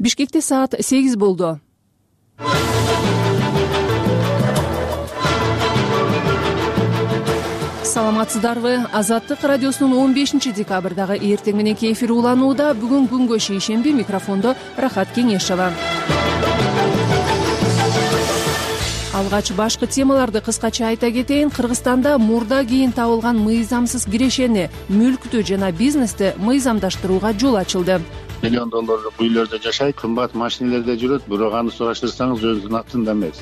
Бишкекте саат 8 болду. Саламатсыздарбы? Азаттык радиосунун 15-декабрдагы эртең мененки эфир уланууда. Бүгүн күнгө шейшемби, микрофондо Рахат Кеңешова. Алгач башкы темаларды кыскача айта кетейин. Кыргызстанда мурда кийин табылган мыйзамсыз кирешени, мүлктү жана бизнести мыйзамдаштырууга жол ачылды. Миллион долларлык үйлөрдө жашайт, кымбат машинелерде жүрөт, бирок аны сураштырсаңыз өзүнүн атында эмес.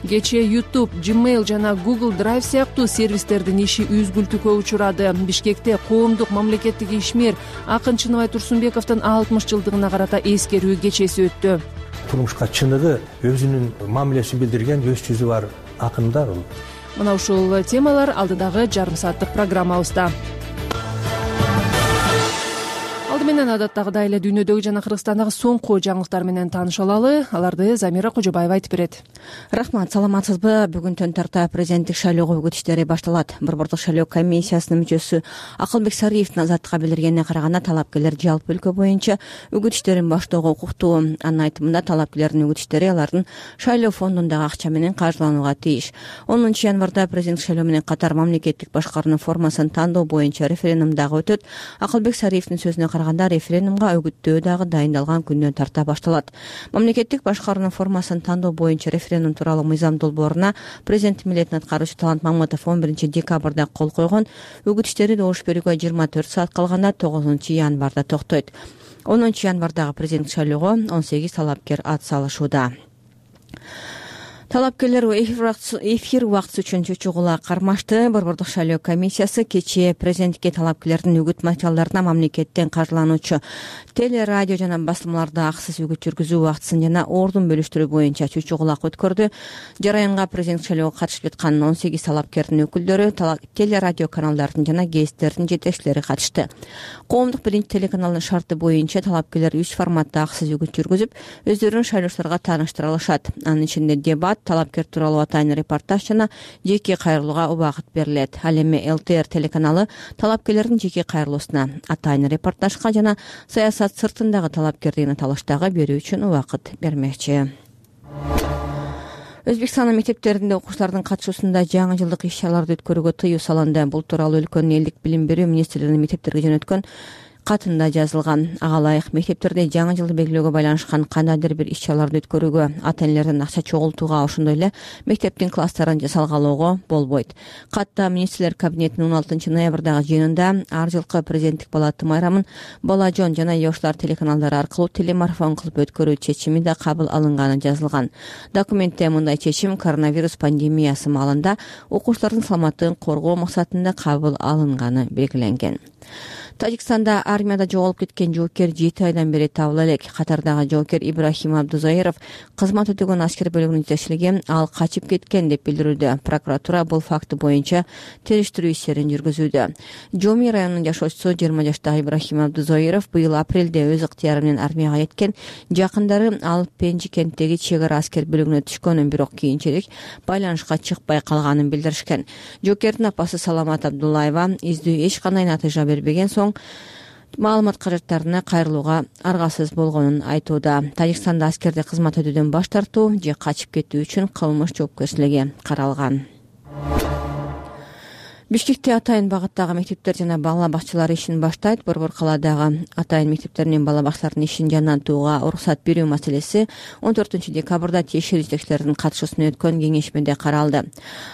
Кечээ YouTube, Gmail жана Google Drive сыяктуу сервистердин иши үзгүлтүүгө учурады. Бишкекте коомдук мамлекеттик ишмер Акын Чыныбай Турсунбековдун 60 жылдыгына карата эскерүү кечеси өттү. Турмушка чыныгы өзүнүн мамилесин билдирген өз жүзү бар акын да бул. Мына ушул темалар алдыдагы жарым сааттык программабызда. Алды менен адаттагыдай эле дүйнөдөгү жана Кыргызстандагы соңку жаңылыктар менен тааныша алалы. Аларды Замира Кожобаева айтып берет. Рахмат, саламатсызбы? Бүгүн тарта президенттик шайлоого үгүт иштери башталат. Борбордук шайлоо комиссиясынын мүчөсү Акылбек Сариевдин азаттыкка билдиргенине караганда, талапкерлер жалпы өлкө боюнча үгүт иштерин баштоого укуктуу. Анын айтымында, талапкерлердин үгүт иштери алардын шайлоо фондундагы акча менен каржыланууга тийиш. 10 январда президенттик шайлоо менен катар мамлекеттик башкаруунун формасын тандоо боюнча референдум дагы өтөт. Акылбек Сариевдин сөзүнө караганда, референдумга үгүттөө дагы дайындалган күндөн тарта башталат. Мамлекеттик башкаруунун формасын тандоо боюнча референдум тууралуу мыйзам долбооруна президент милдетин аткаруучу Талант Маматов 11 декабрда кол койгон. Үгүт иштери добуш берүүгө 24 саат калганда 9 январда токтойт. 10 январдагы президенттик шайлоого 18 талапкер ат салышууда. Талапкерлер эфир убактысы үчүн чучугула кармашты. Борбордук шайлоо комиссиясы кечээ президенттикке талапкерлердин үгүт материалдарына мамлекеттен каржылануучу телерадио жана басылмаларда акысыз үгүт жүргүзүү убактысын жана ордун бөлүштүрүү боюнча чучугулак өткөрдү. Жараянга президенттик шайлоого катышып жаткан 18 талапкердин өкүлдөрү, телерадио каналдардын жана гезиттердин жетекчилери катышты. Коомдук биринчи телеканалдын шарты боюнча талапкерлер 3 форматта акысыз үгүт жүргүзүп, өздөрүн шайлоочуларга тааныштыра алышат. Анын ичинде дебат, талапкер тууралуу атайын репортаж жана жеке кайрылууга убакыт берилет. Ал эми ЛТР телеканалы талапкерлердин жеке кайрылуусуна, атайын репортажга жана саясат сыртындагы талапкердигин талаштагы берүү үчүн убакыт бермекчи. Өзбекстандын мектептеринде окуучулардын катышуусунда жаңы жылдык иш-чараларды өткөрүүгө тыюу салынды. Бул тууралуу өлкөнүн элдик билим берүү министрлигинин мектептерге жөнөткөн катында жазылган. Ага ылайык мектептерде жаңы жылды белгилөөгө байланышкан кандайдыр бир иш-чараларды өткөрүүгө, ата-энелердин акча чогултууга, ошондой эле мектептин класстарын жасалгалоого болбойт. Катта министрлер кабинетинин 16 ноябрдагы жыйынында ар жылкы президенттик палата майрамын Бала жон жана Yoshlar телеканалдары аркылуу телемарафон кылып өткөрүү чечими да кабыл алынганы жазылган. Документте мындай чечим коронавирус пандемиясы маалында окуучулардын саламаттыгын коргоо максатында кабыл алынганы белгиленген. Тажикстанда армияда жоголуп кеткен жоокер 7 айдан бери табыла элек. Катардагы жоокер Ибрахим Абдузаиров кызмат өтөгөн аскер бөлүгүнүн жетекчилиги ал качып кеткен деп билдирүүдө. Прокуратура бул факты боюнча териштирүү иштерин жүргүзүүдө. Жоми районунун жашоочусу 20 жаштагы Ибрахим Абдузаиров быйыл апрелде өз ыктыяры менен армияга кеткен. Жакындары ал Пенжи кенттеги чек ара аскер бөлүгүнө түшкөнүн, бирок кийинчерээк байланышка чыкпай калганын билдиришкен. Жоокердин апасы Саламат Абдуллаева издөө эч кандай натыйжа бербеген соң маалымат каражаттарына кайрылууга аргасыз болгонун айтууда. Тажикстанда аскерде кызмат өтүүдөн баш тартуу же качып кетүү үчүн кылмыш жоопкерчилиги каралган. Бишкекте атайын багыттагы мектептер жана бала бакчалар ишин баштайт. Борбор калаадагы атайын мектептер менен бала бакчалардын ишин жандантууга уруксат берүү маселеси 14 декабрда тиешелүү жетекчилердин катышуусунда өткөн кеңешмеде каралды.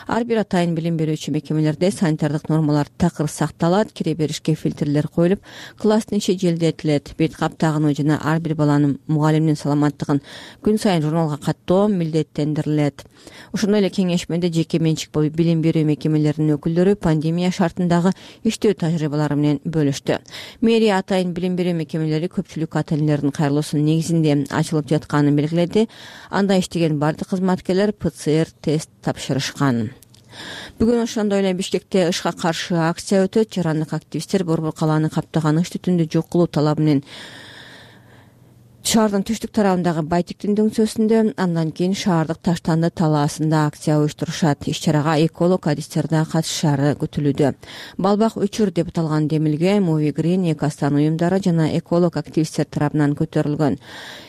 Ар бир атайын билим берүүчү мекемелерде санитардык нормалар такыр сакталат, кире беришке фильтрлер коюлуп, класстын ичи желдетилет, бет кап тагынуу жана ар бир баланын мугалимдин саламаттыгын күн сайын журналга каттоо милдеттендирилет. Ошондой эле кеңешмеде жеке менчик билим берүү мекемелеринин өкүлдөрү пандемия шартындагы иштөө тажрыйбалары менен бөлүштү. Мэрия атайын билим берүү мекемелери көпчүлүк ата-энелердин кайрылуусунун негизинде ачылып жатканын белгиледи. Анда иштеген бардык кызматкерлер ПЦР тест тапшырышкан. Бүгүн ошондой эле Бишкекте ышка каршы акция өтөт. Жарандык активисттер борбор калааны каптаган ыш түтүндү жок кылуу талабы менен Шаардын түштүк тарабындагы Байтиктин дөңсөсүндө, андан кийин шаардык Таштанды талаасында акция уюштурушат. Иш-чарага эколог адистер да катышаары күтүлүүдө. Балбак өчүр деп аталган демилге Мови Грин, Экостан уюмдары жана эколог активисттер тарабынан көтөрүлгөн.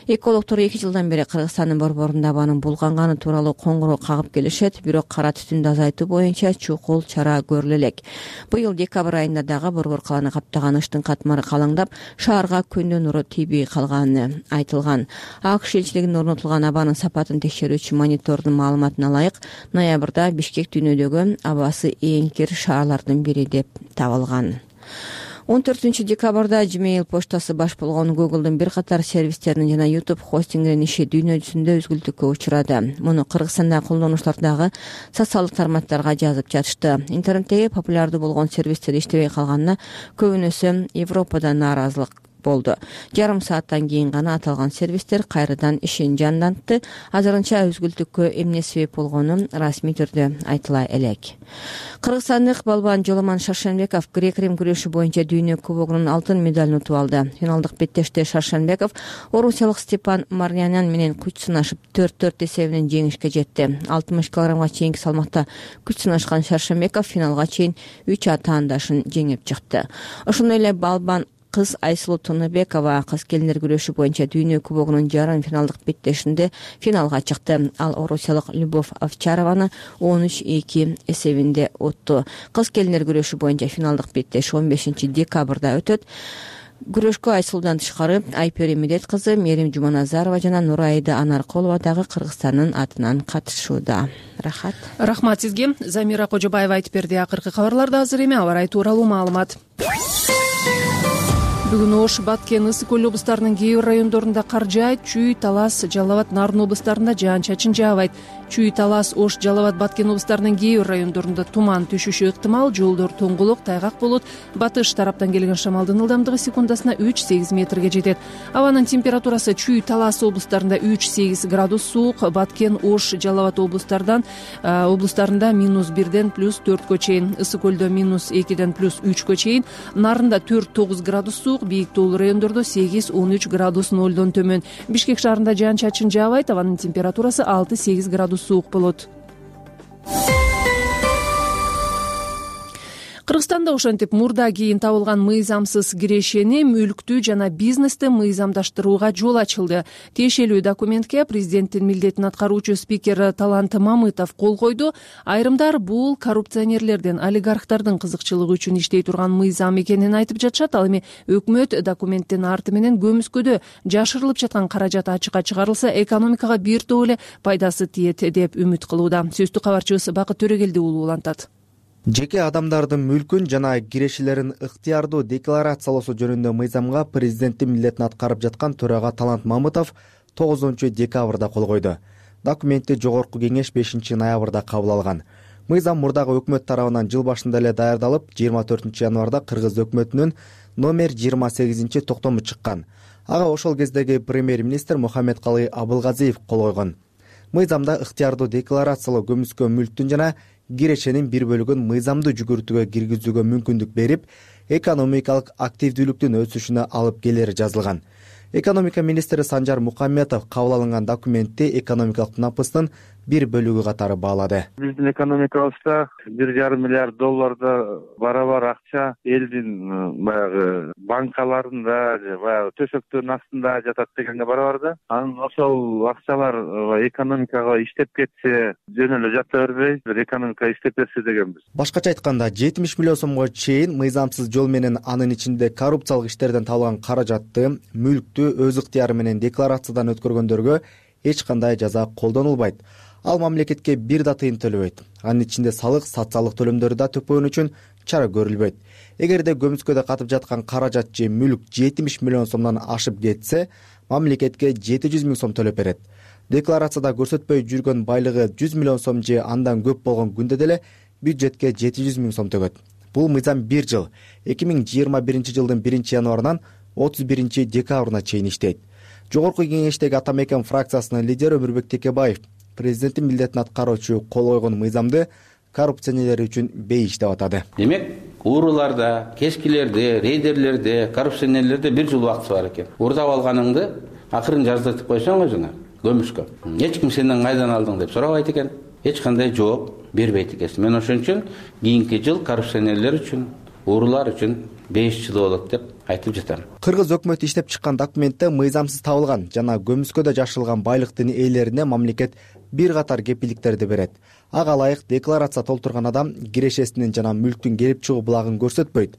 Экологдор 2 жылдан бери Кыргызстандын борборунда абанын булганганы тууралуу коңгуроо кагып келишет, бирок кара түтүндү азайтуу боюнча чукул чара көрүлө элек. Быйыл декабрь айында дагы борбор каланы каптаган ыштын катмары калаңдап, шаарга күндүн нуру тийбей калганы айтылган. АКШ элчилигинин орнотулган абанын сапатын текшерүүчү монитордун маалыматына ылайык, ноябрда Бишкек дүйнөдөгү абасы эң кир шаарлардын бири деп табылган. 14 декабрда Gmail поштасы баш болгон Google'дун бир катар сервистеринин жана YouTube хостингинин иши дүйнө жүзүндө үзгүлтүккө учурады. Муну Кыргызстандагы колдонуучулардагы социалдык тармактарга жазып жатышты. Интернеттеги популярдуу болгон сервистер иштебей калганына көбүнөсү Европада нааразылык болду. Жарым сааттан кийин гана аталган сервистер кайрадан ишин жандантты. Азырынча үзгүлтүккө эмне себеп болгону расмий түрдө айтыла элек. Кыргызстандык балбан Жоламан Шаршенбеков грек-рим күрөшү боюнча дүйнө кубогунун алтын медалын утуп алды. Финалдык беттеште Шаршенбеков орусиялык Степан Марнянян менен күч сынашып 4-4 эсебинен жеңишке жетти. 60 килограммга чейинки салмакта күч сынашкан Шаршенбеков финалга чейин 3 атаандашын жеңип чыкты. Ошондой эле балбан кыз Айсулуу Тунубекова кыз келиндер күрөшү боюнча дүйнө кубогунун жарым финалдык беттешинде финалга чыкты. Ал орусиялык Любовь Овчарованы 13-2 эсебинде утту. Кыз келиндер күрөшү боюнча финалдык беттеш 15 декабрда өтөт. Күрөшкө Айсулуудан тышкары Айпери Медет кызы, Мерим Жуманазарова жана Нурайда Анаркулова дагы Кыргызстандын атынан катышууда. Рахмат сизге. Замира Кожобаева айтып берди. Акыркы кабарларда азыр эми аба ырайы тууралуу маалымат. Бүгүн Ош, Баткен, Ысык көл облустарынын кээ бир райондорунда кар жаайт. Чүй, Талас, Жалал Абад, Нарын облустарында жаан-чачын жаабайт. Чүй, Талас, Ош, Жалал Абад, Баткен облустарынын кээ бир райондорунда туман түшүшү ыктымал. Жолдор тоңгулук, тайгак болот. Батыш тараптан келген шамалдын ылдамдыгы секундасына 3-8 метрге жетет. Абанын температурасы Чүй, Талас облустарында 3-8 градус суук, Баткен, Ош, Жалал Абад облустарында -1ден +4 чейин, Ысык көлдө -2ден +3 чейин, Нарында 4-9 градус суук, бийик тоолуу райондордо 8-13 градус 0дон төмөн. Бишкек шаарында жаан-чачын жаабайт, абанын температурасы 6-8 градус суук болот. Кыргызстанда ошентип мурда кийин табылган мыйзамсыз кирешени, мүлктү жана бизнести мыйзамдаштырууга жол ачылды. Тиешелүү документке президенттин милдетин аткаруучу спикер Талант Мамытов кол койду. Айрымдар бул коррупционерлердин, олигархтардын кызыкчылыгы үчүн иштей турган мыйзам экенин айтып жатышат. Ал эми өкмөт документтин арты менен көмүскөдө жашырылып жаткан каражат ачыкка чыгарылса, экономикага бир топ эле пайдасы тиет деп үмүт кылууда. Сөздү кабарчыбыз Бакыт Төрөгелди уулу улантат. Жеке адамдардын мүлкүн жана кирешелерин ыктыярдуу декларациялоосу жөнүндө мыйзамга президенттин милдетин аткарып жаткан төрага Талант Мамытов 9 декабрда кол койду. Документти жогорку кеңеш 5 ноябрда кабыл алган. Мыйзам мурдагы өкмөт тарабынан жыл башында эле даярдалып, 24 январда Кыргыз өкмөтүнүн номер 28 токтому чыккан. Ага ошол кездеги премьер-министр Мухаммедкалый Абылгазиев кол койгон. Мыйзамда ыктыярдуу декларациялоо көмүскө мүлктүн жана кирешенин бир бөлүгүн мыйзамдуу жүгүртүүгө киргизүүгө мүмкүндүк берип, экономикалык активдүүлүктүн өсүшүнө алып келери жазылган. Экономика министри Санжар Мукамметов кабыл алынган документти экономикалык напыстын бир бөлүгү катары баалады. Биздин экономикабызда $1,5 миллиард барабар акча элдин баягы банкаларында, баягы төшөктөрдүн астында жатат дегенге барабар да. Анан ошол акчалар экономикага иштеп кетсе, жөн эле жата бербей, экономика иштеп берсе дегенбиз. Башкача айтканда, 70 миллион сомго чейин мыйзамсыз жол менен анын ичинде коррупциялык иштерден табылган каражатты, мүлктү өз ыктыяры менен декларациядан өткөргөндөргө эч кандай жаза колдонулбайт. Ал мамлекетке бир да тыйын төлөбөйт. Анын ичинде салык, социалдык төлөмдөрдү да төпөөн үчүн чара көрүлбөйт. Эгерде көмүскөдө катып жаткан каражат же мүлк 70 миллион сомдон ашып кетсе, мамлекетке 700 миң сом төлөп берет. Декларацияда көрсөтпөй жүргөн байлыгы 100 миллион сом же андан көп болгон күндө деле бюджетке 700 миң сом төгөт. Бул мыйзам 1 жыл, 2021 жылдын 1 январынан 31 декабрына чейин иштейт. Жогорку кеңештеги Ата Мекен фракциясынын лидери Өмүрбек Текебаев президенттин милдетин аткаруучу кол койгон мыйзамды коррупционерлер үчүн бейиш деп атады. Демек, ууруларда, кешкилерде, рейдерлерде, коррупционерлерде 1 жыл убакыты бар экен. Уурдап алганыңды акырын жаздыртып койсоң өзүңө көмүшкө эч ким сенден кайдан алдың деп сурабайт экен, эч кандай жооп бербейт экенсиң. Мен ошон үчүн кийинки жыл коррупционерлер үчүн, уурулар үчүн 5 жыл болот деп айтып жатам. Кыргыз өкмөтү иштеп чыккан документте мыйзамсыз табылган жана көмүскөдө жашырылган байлыктын ээлерине мамлекет бир катар кепилдиктерди берет. Ага ылайык декларация толтурган адам кирешесинин жана мүлктүн келип чыгуу булагын көрсөтпөйт.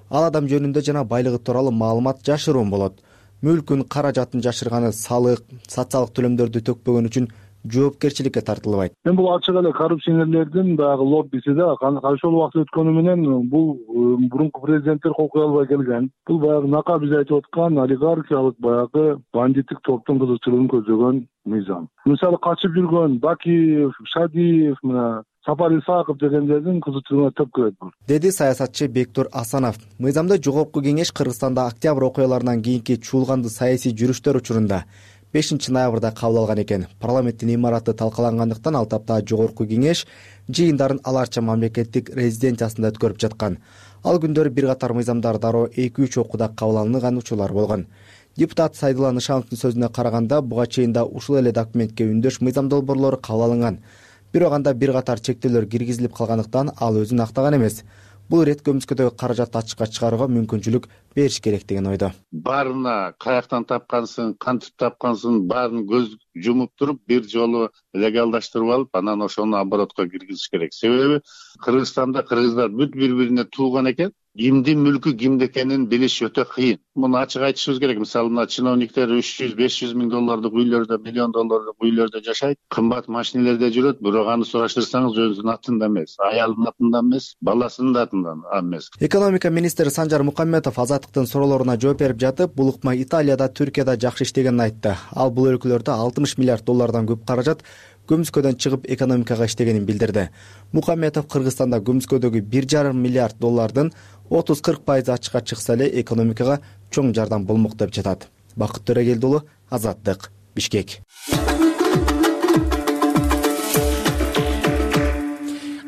Ал адам жөнүндө жана байлыгы тууралуу маалымат жашыруун болот. Мүлкүн, каражатын жашырганы салык, социалдык төлөмдөрдү төкпөгөн үчүн жоопкерчиликке тартылбайт. Мен бул ачык эле коррупционерлердин баягы лоббиси да ошол убакыт өткөнү менен бул мурунку президенттер кол кое албай келген. Бул баягы нака биз айтып аткан олигархиялык баягы бандиттик топтун кызыкчылыгын көзөгөн мыйзам. Мисалы качып жүргөн Бакиев, Шадиев, мына Сапар Исаков дегендердин кызыкчылыгына төп келет бул, деди саясатчы Бектур Асанов. Мыйзамда Жогорку Кеңеш Кыргызстанда октябрь окуяларынан кийинки чуулганды саясий жүрүштөр учурунда 5 ноябрда кабыл алган экен. Парламенттин имараты талкалангандыктан ал тапта Жогорку Кеңеш жыйындарын аларча мамлекеттик резиденциясында өткөрүп жаткан. Ал күндөрү бир катар мыйзамдар дароо 2-3 окууда кабыл алынган учурлар болгон. Депутат Сайдулла Нышановдун сөзүнө караганда, буга чейин да ушул эле документке үндөш мыйзам долбоорлору кабыл алынган. Бирок анда бир катар чектөөлөр киргизилип калгандыктан ал өзүн актаган эмес. Бул ирет көмүскөдөгү каражатты ачыкка чыгарууга мүмкүнчүлүк бериш керек деген ойдо. Баарына каяктан тапкансың, кантип тапкансың, баарын көз жумуп туруп бир жолу легалдаштырып алып, анан ошону оборотко киргизиш керек. Себеби Кыргызстанда кыргыздар бүт бири-бирине тууган экен. Кимдин мүлкү кимде экенин билиш өтө кыйын. Муну ачык айтышыбыз керек. Мисалы, мына чиновниктер 300-500 миң доллардык үйлөрдө, миллион доллардык үйлөрдө жашайт, кымбат машинелерде жүрөт, бирок аны сураштырсаңыз өзүнүн атында эмес, аялынын атында эмес, баласынын атында эмес. Экономика министри Санжар Мукамметов Азаттыктын суроолоруна жооп берип жатып, бул ыкма Италияда, Түркияда жакшы иштегенин айтты. Ал бул өлкөлөрдө 60 миллиард доллардан көп каражат көмүскөдөн чыгып экономикага иштегенин билдирди. Мукамметов Кыргызстанда көмүскөдөгү 1,5 миллиард доллардын 30-40% ачыкка чыкса эле экономикага чоң жардам болмок деп жатат. Бакыт Төрөгелди уулу, Азаттык, Бишкек.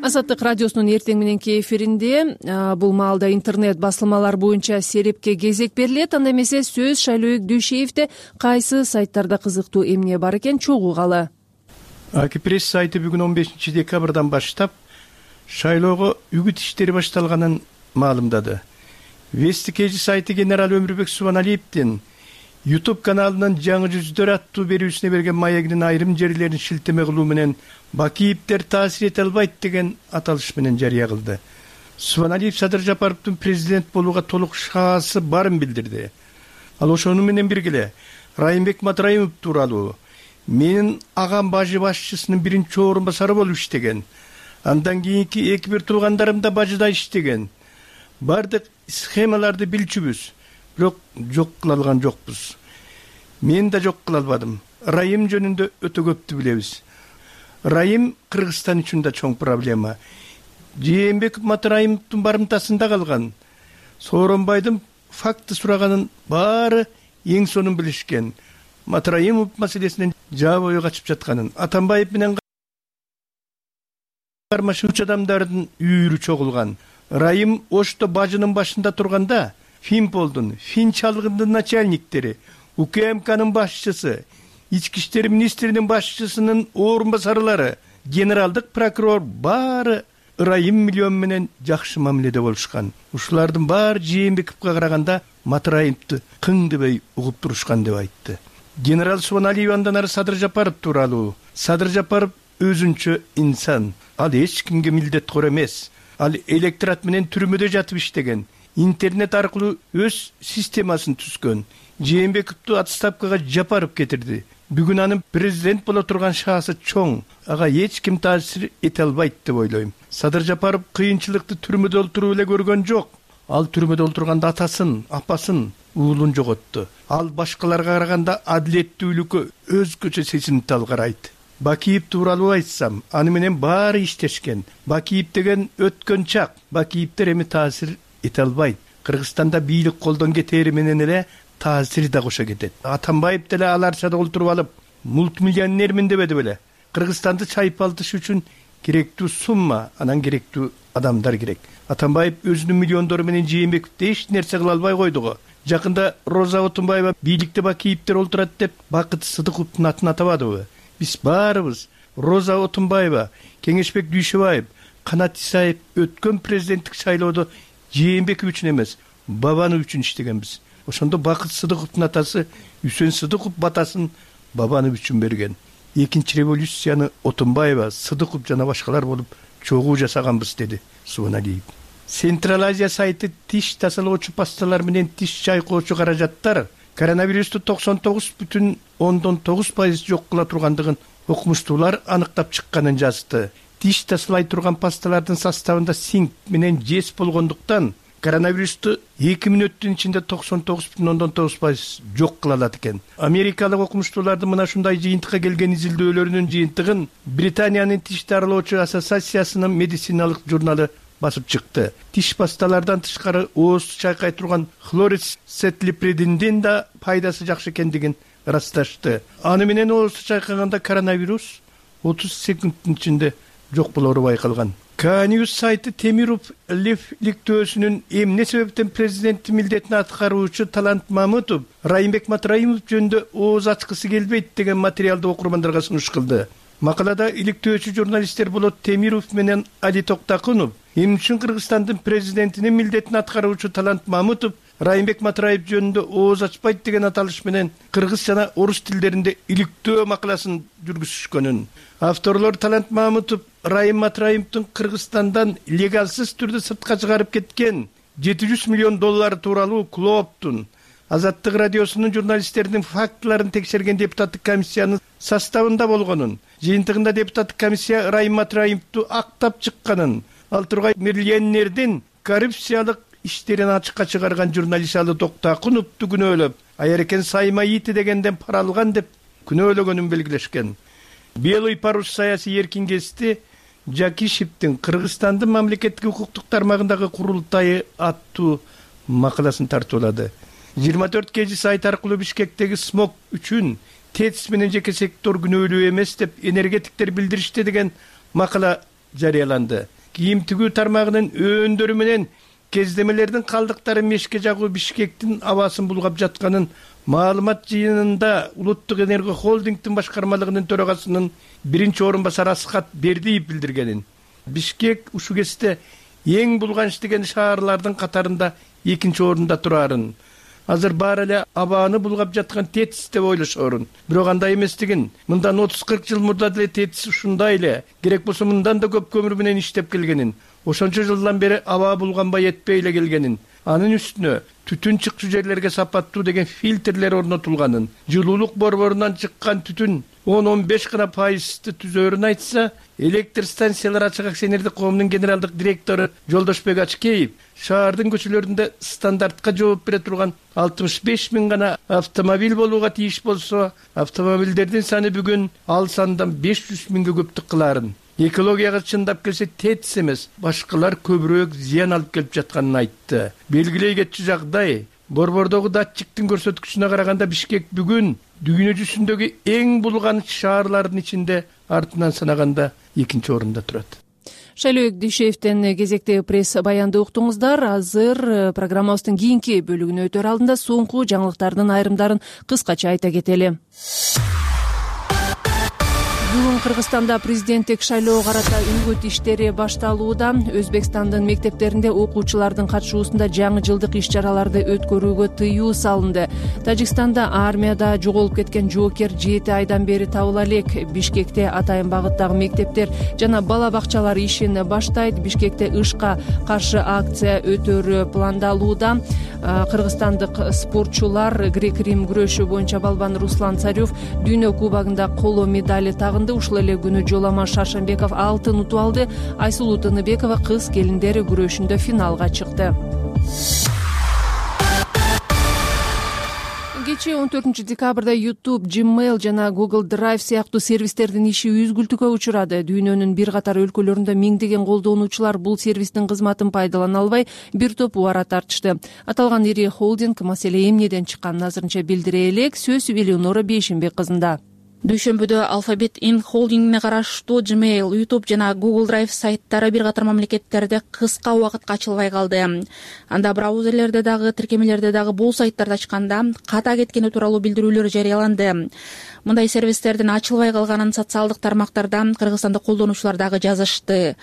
Азаттык радиосунун эртең мененки эфиринде бул маалда интернет басылмалар боюнча серепке кезек берилет. Анда эмесе сөз Шайлообек Дүйшеевде кайсы сайттарда кызыктуу эмне бар экен чогуугалы. Пресс сайты бүгүн 15 декабрдан баштап шайлоого үгүт иштери башталганын маалымдады. Вести Кежи сайты генерал Өмүрбек Субаналиевдин YouTube каналынын жаңы жүздөр аттуу берүүсүнө берген маегинин айрым жерлерин шилтеме кылуу менен Бакиевдер таасир эте албайт деген аталыш менен жарыя кылды. Субаналиев Садыр Жапаровдун президент болууга толук шансы барын билдирди. Ал ошону менен бирге Райымбек Матраимов тууралуу менин агам бажы башчысынын биринчи орун басары болуп иштеген. Андан кийинки эки бир туугандарым да бажыда иштеген. Бардык схемаларды билчүбүз, бирок жок кыла алган жокпуз. Мен да жок кыла албадым. Райым жөнүндө өтө көптү билебиз. Райым Кыргызстан үчүн да чоң проблема. Жээнбеков Матраимовдун барымтасында калган. Сооронбайдын факты сураганын баары эң сонун билишкен. Матраимов маселесинен жабы ой качып жатканын, Атамбаев менен кармашуучу адамдардын үйүрү чогулган. Райым Ошто бажынын башында турганда Финполдун, Финчалыгындын начальниктери, УКМКнын башчысы, Ички иштер министринин башчысынын орун басарлары, генералдык прокурор баары Райым миллион менен жакшы мамиледе болушкан. Ушулардын баары Жээнбековго караганда Матраимовду кың дебей угуп турушкан деп айтты. Генерал Субаналиев андан ары Садыр Жапаров тууралуу. Садыр Жапаров өзүнчө инсан. Ал эч кимге милдеткор эмес. Ал электорат менен түрмөдө жатып иштеген. Интернет аркылуу өз системасын түзгөн. Жээнбековду отставкага Жапаров кетирди. Бүгүн анын президент боло турган шансы чоң. Ага эч ким таасир эте албайт деп ойлойм. Садыр Жапаров кыйынчылыкты түрмөдө олтуруп эле көргөн жок. Ал түрмөдө олтурганда атасын, апасын, уулун жоготту. Ал башкаларга караганда адилеттүүлүккө өзгөчө сезимтал карайт. Бакиев тууралуу айтсам, аны менен баары иштешкен. Бакиев деген өткөн чак. Бакиевдер эми таасир эте албайт. Кыргызстанда бийлик колдон кетери менен эле таасир да кошо кетет. Атамбаев деле аларчада олтуруп алып, мультимиллионермин дебеди беле. Кыргызстанды чайпалтыш үчүн керектүү сумма, анан керектүү адамдар керек. Атамбаев өзүнүн миллиондору менен Жээнбековду эч нерсе кыла албай койду го. Жакында Роза Отунбаева бийликте бакиевдер олтурат деп Бакыт Сыдыковдун атын атабадыбы? Биз баарыбыз Роза Отунбаева, Кеңешбек Дүйшөбаев, Канат Исаев өткөн президенттик шайлоодо Жээнбеков үчүн эмес, Бабанов үчүн иштегенбиз. Ошондо Бакыт Сыдыковдун атасы Үсөн Сыдыков батасын Бабанов үчүн берген. Экинчи революцияны Отунбаева, Сыдыков жана башкалар болуп чогуу жасаганбыз, деди Субаналиев. Централ Азия сайты тиш тазалоочу пасталар менен тиш чайкоочу каражаттар коронавирусту 99,9% жок кыла тургандыгын окумуштуулар аныктап чыкканын жазды. Тиш тазалай турган пасталардын составында цинк менен жез болгондуктан коронавирусту 2 мүнөттүн ичинде 99,9% жок кыла алат экен. Америкалык окумуштуулардын мына ушундай жыйынтыкка келген изилдөөлөрүнүн жыйынтыгын Британиянын тиш дарылоочу ассоциациясынын медициналык журналы басып чыкты. Тиш пасталардан тышкары оозду чайкай турган хлорицетлипридиндин да пайдасы жакшы экендигин ырасташты. Аны менен оозду чайкаганда коронавирус 30 секундтун ичинде жок болору байкалган. Кньюс сайты Темиров лиф иликтөөсүнүн эмне себептен президенттин милдетин аткаруучу Талант Мамытов Райымбек Матраимов жөнүндө ооз ачкысы келбейт деген материалды окурмандарга сунуш кылды. Макалада иликтөөчү журналисттер болот Темиров менен Али Токтакунов эмне үчүн Кыргызстандын президентинин милдетин аткаруучу Талант Мамытов Райымбек Матраев жөнүндө ооз ачпайт деген аталыш менен кыргыз жана орус тилдеринде иликтөө макаласын жүргүзүшкөнүн. Авторлор Талант Мамытов Райым Матраевдин Кыргызстандан легалсыз түрдө сыртка чыгарып кеткен $700 миллион тууралуу клооптун Азаттык радиосунун журналисттердин фактыларын текшерген депутаттык комиссиянын составында болгонун, жыйынтыгында депутаттык комиссия Райым Матраевду актап чыкканын, ал тургай миллионердин коррупциялык иштерин ачыкка чыгарган журналист Али Токтакуновду күнөөлөп, Айрекен Саймаити дегенден пара алган деп күнөөлөгөнүн белгилешкен. Белый парус саясий эркингести Жакишевдин Кыргызстандын мамлекеттик укуктук тармагындагы курултайы аттуу макаласын тартуулады. 24 кежи сайт аркылуу Бишкектеги смог үчүн ТЭЦ менен жеке сектор күнөөлүү эмес деп энергетиктер билдиришти деген макала жарыяланды. Кийим тигүү тармагынын өндөрү менен кездемелердин калдыктары мешке жагуу Бишкектин абасын булгап жатканын маалымат жыйынында Улуттук энерго холдингдин башкармалыгынын төрагасынын биринчи орун басары Асхат Бердиев билдиргенин. Бишкек ушул кезде эң булган иштеген шаарлардын катарында экинчи орунда турарын. Азыр баары эле абааны булгап жаткан ТЭЦ деп ойлошорун. Бирок андай эместигин. Мындан 30-40 жыл мурда деле ТЭЦ ушундай эле, керек болсо мындан да көп көмүр менен иштеп келгенин. Ошончо жылдан бери аба булганбай этпей эле келгенин. Анын үстүнө түтүн чыкчу жерлерге сапаттуу деген фильтрлер орнотулганын, жылуулук борборунан чыккан түтүн 10-15 гана пайызды түзөрүн айтса, электр станциялар ачык акционердик коомунун генералдык директору Жолдошбек Ачкеев шаардын көчөлөрүндө стандартка жооп бере турган 65 000 гана автомобиль болууга тийиш болсо, автомобилдердин саны бүгүн ал сандан 500 000ге көптүк кылаарын. Экологияга чындап келсе ТЭЦ эмес, башкалар көбүрөөк зыян алып келип жатканын айтты. Белгилей кетчү жагдай, борбордогу датчиктин көрсөткүчүнө караганда Бишкек бүгүн дүйнө жүзүндөгү эң булган шаарлардын ичинде артынан санаганда экинчи орунда турат. Шайлообек Дүйшөевден кезектеги пресс баянды уктуңуздар. Азыр программабыздын кийинки бөлүгүнө өтөр алдында соңку жаңылыктардын айрымдарын кыскача айта кетели. Бүгүн Кыргызстанда президенттик шайлоого карата үгүт иштери башталууда. Өзбекстандын мектептеринде окуучулардын катышуусунда жаңы жылдык иш-чараларды өткөрүүгө тыюу салынды. Тажикстанда армияда жоголуп кеткен жоокер 7 айдан бери табыла элек. Бишкекте атайын багыттагы мектептер жана бала бакчалар ишин баштайт. Бишкекте ышка каршы акция өтөрү пландалууда. Кыргызстандык спортчулар грек-рим күрөшү боюнча балбан Руслан Царев дүйнө кубогунда коло медали тагынды. Ушул эле күнү Жоламан Шаршенбеков алтын утуп алды. Айсулуу Тыныбекова кыз келиндер күрөшүндө финалга чыкты. Кечээ 14 декабрда YouTube, Gmail жана Google Drive сыяктуу сервистердин иши үзгүлтүккө учурады. Дүйнөнүн бир катар өлкөлөрүндө миңдеген колдонуучулар бул сервистин кызматын пайдалана албай, бир топ убара тартышты. Аталган ири холдинг маселе эмнеден чыкканын азырынча билдире элек. Сөз Элеонора Бейшимбек кызында. Дүйшөмбүдө Alphabet Inc. холдингине караштуу Gmail, YouTube жана Google Drive сайттары бир катар мамлекеттерде кыска убакытка ачылбай калды. Анда браузерлерде дагы, тиркемелерде дагы бул сайттарды ачканда ката кеткени тууралуу билдирүүлөр жарыяланды. Мындай сервистердин ачылбай калганын социалдык тармактарда кыргызстандык колдонуучулар дагы жазышты.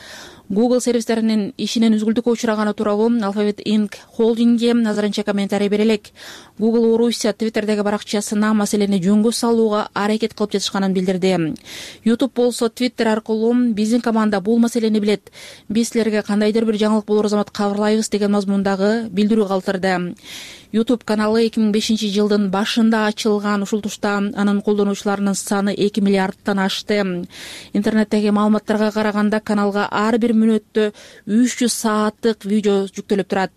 Google сервистеринин ишинен үзгүлтүккө учураганы тууралуу Alphabet Inc. холдинги азырынча комментарий бере элек. Google Орусия Twitterдеги баракчасына маселени жөнгө салууга аракет кылып жатышканын билдирди. YouTube болсо Twitter аркылуу биздин команда бул маселени билет. Биз силерге кандайдыр бир жаңылык болор замат кабарлайбыз деген мазмундагы билдирүү калтырды. YouTube каналы 2005 жылдын башында ачылган. Ушул тушта анын колдонуучуларынын саны 2 миллиардтан ашты. Интернеттеги маалыматтарга караганда каналга ар бир мүнөттө 300 сааттык видео жүктөлүп турат.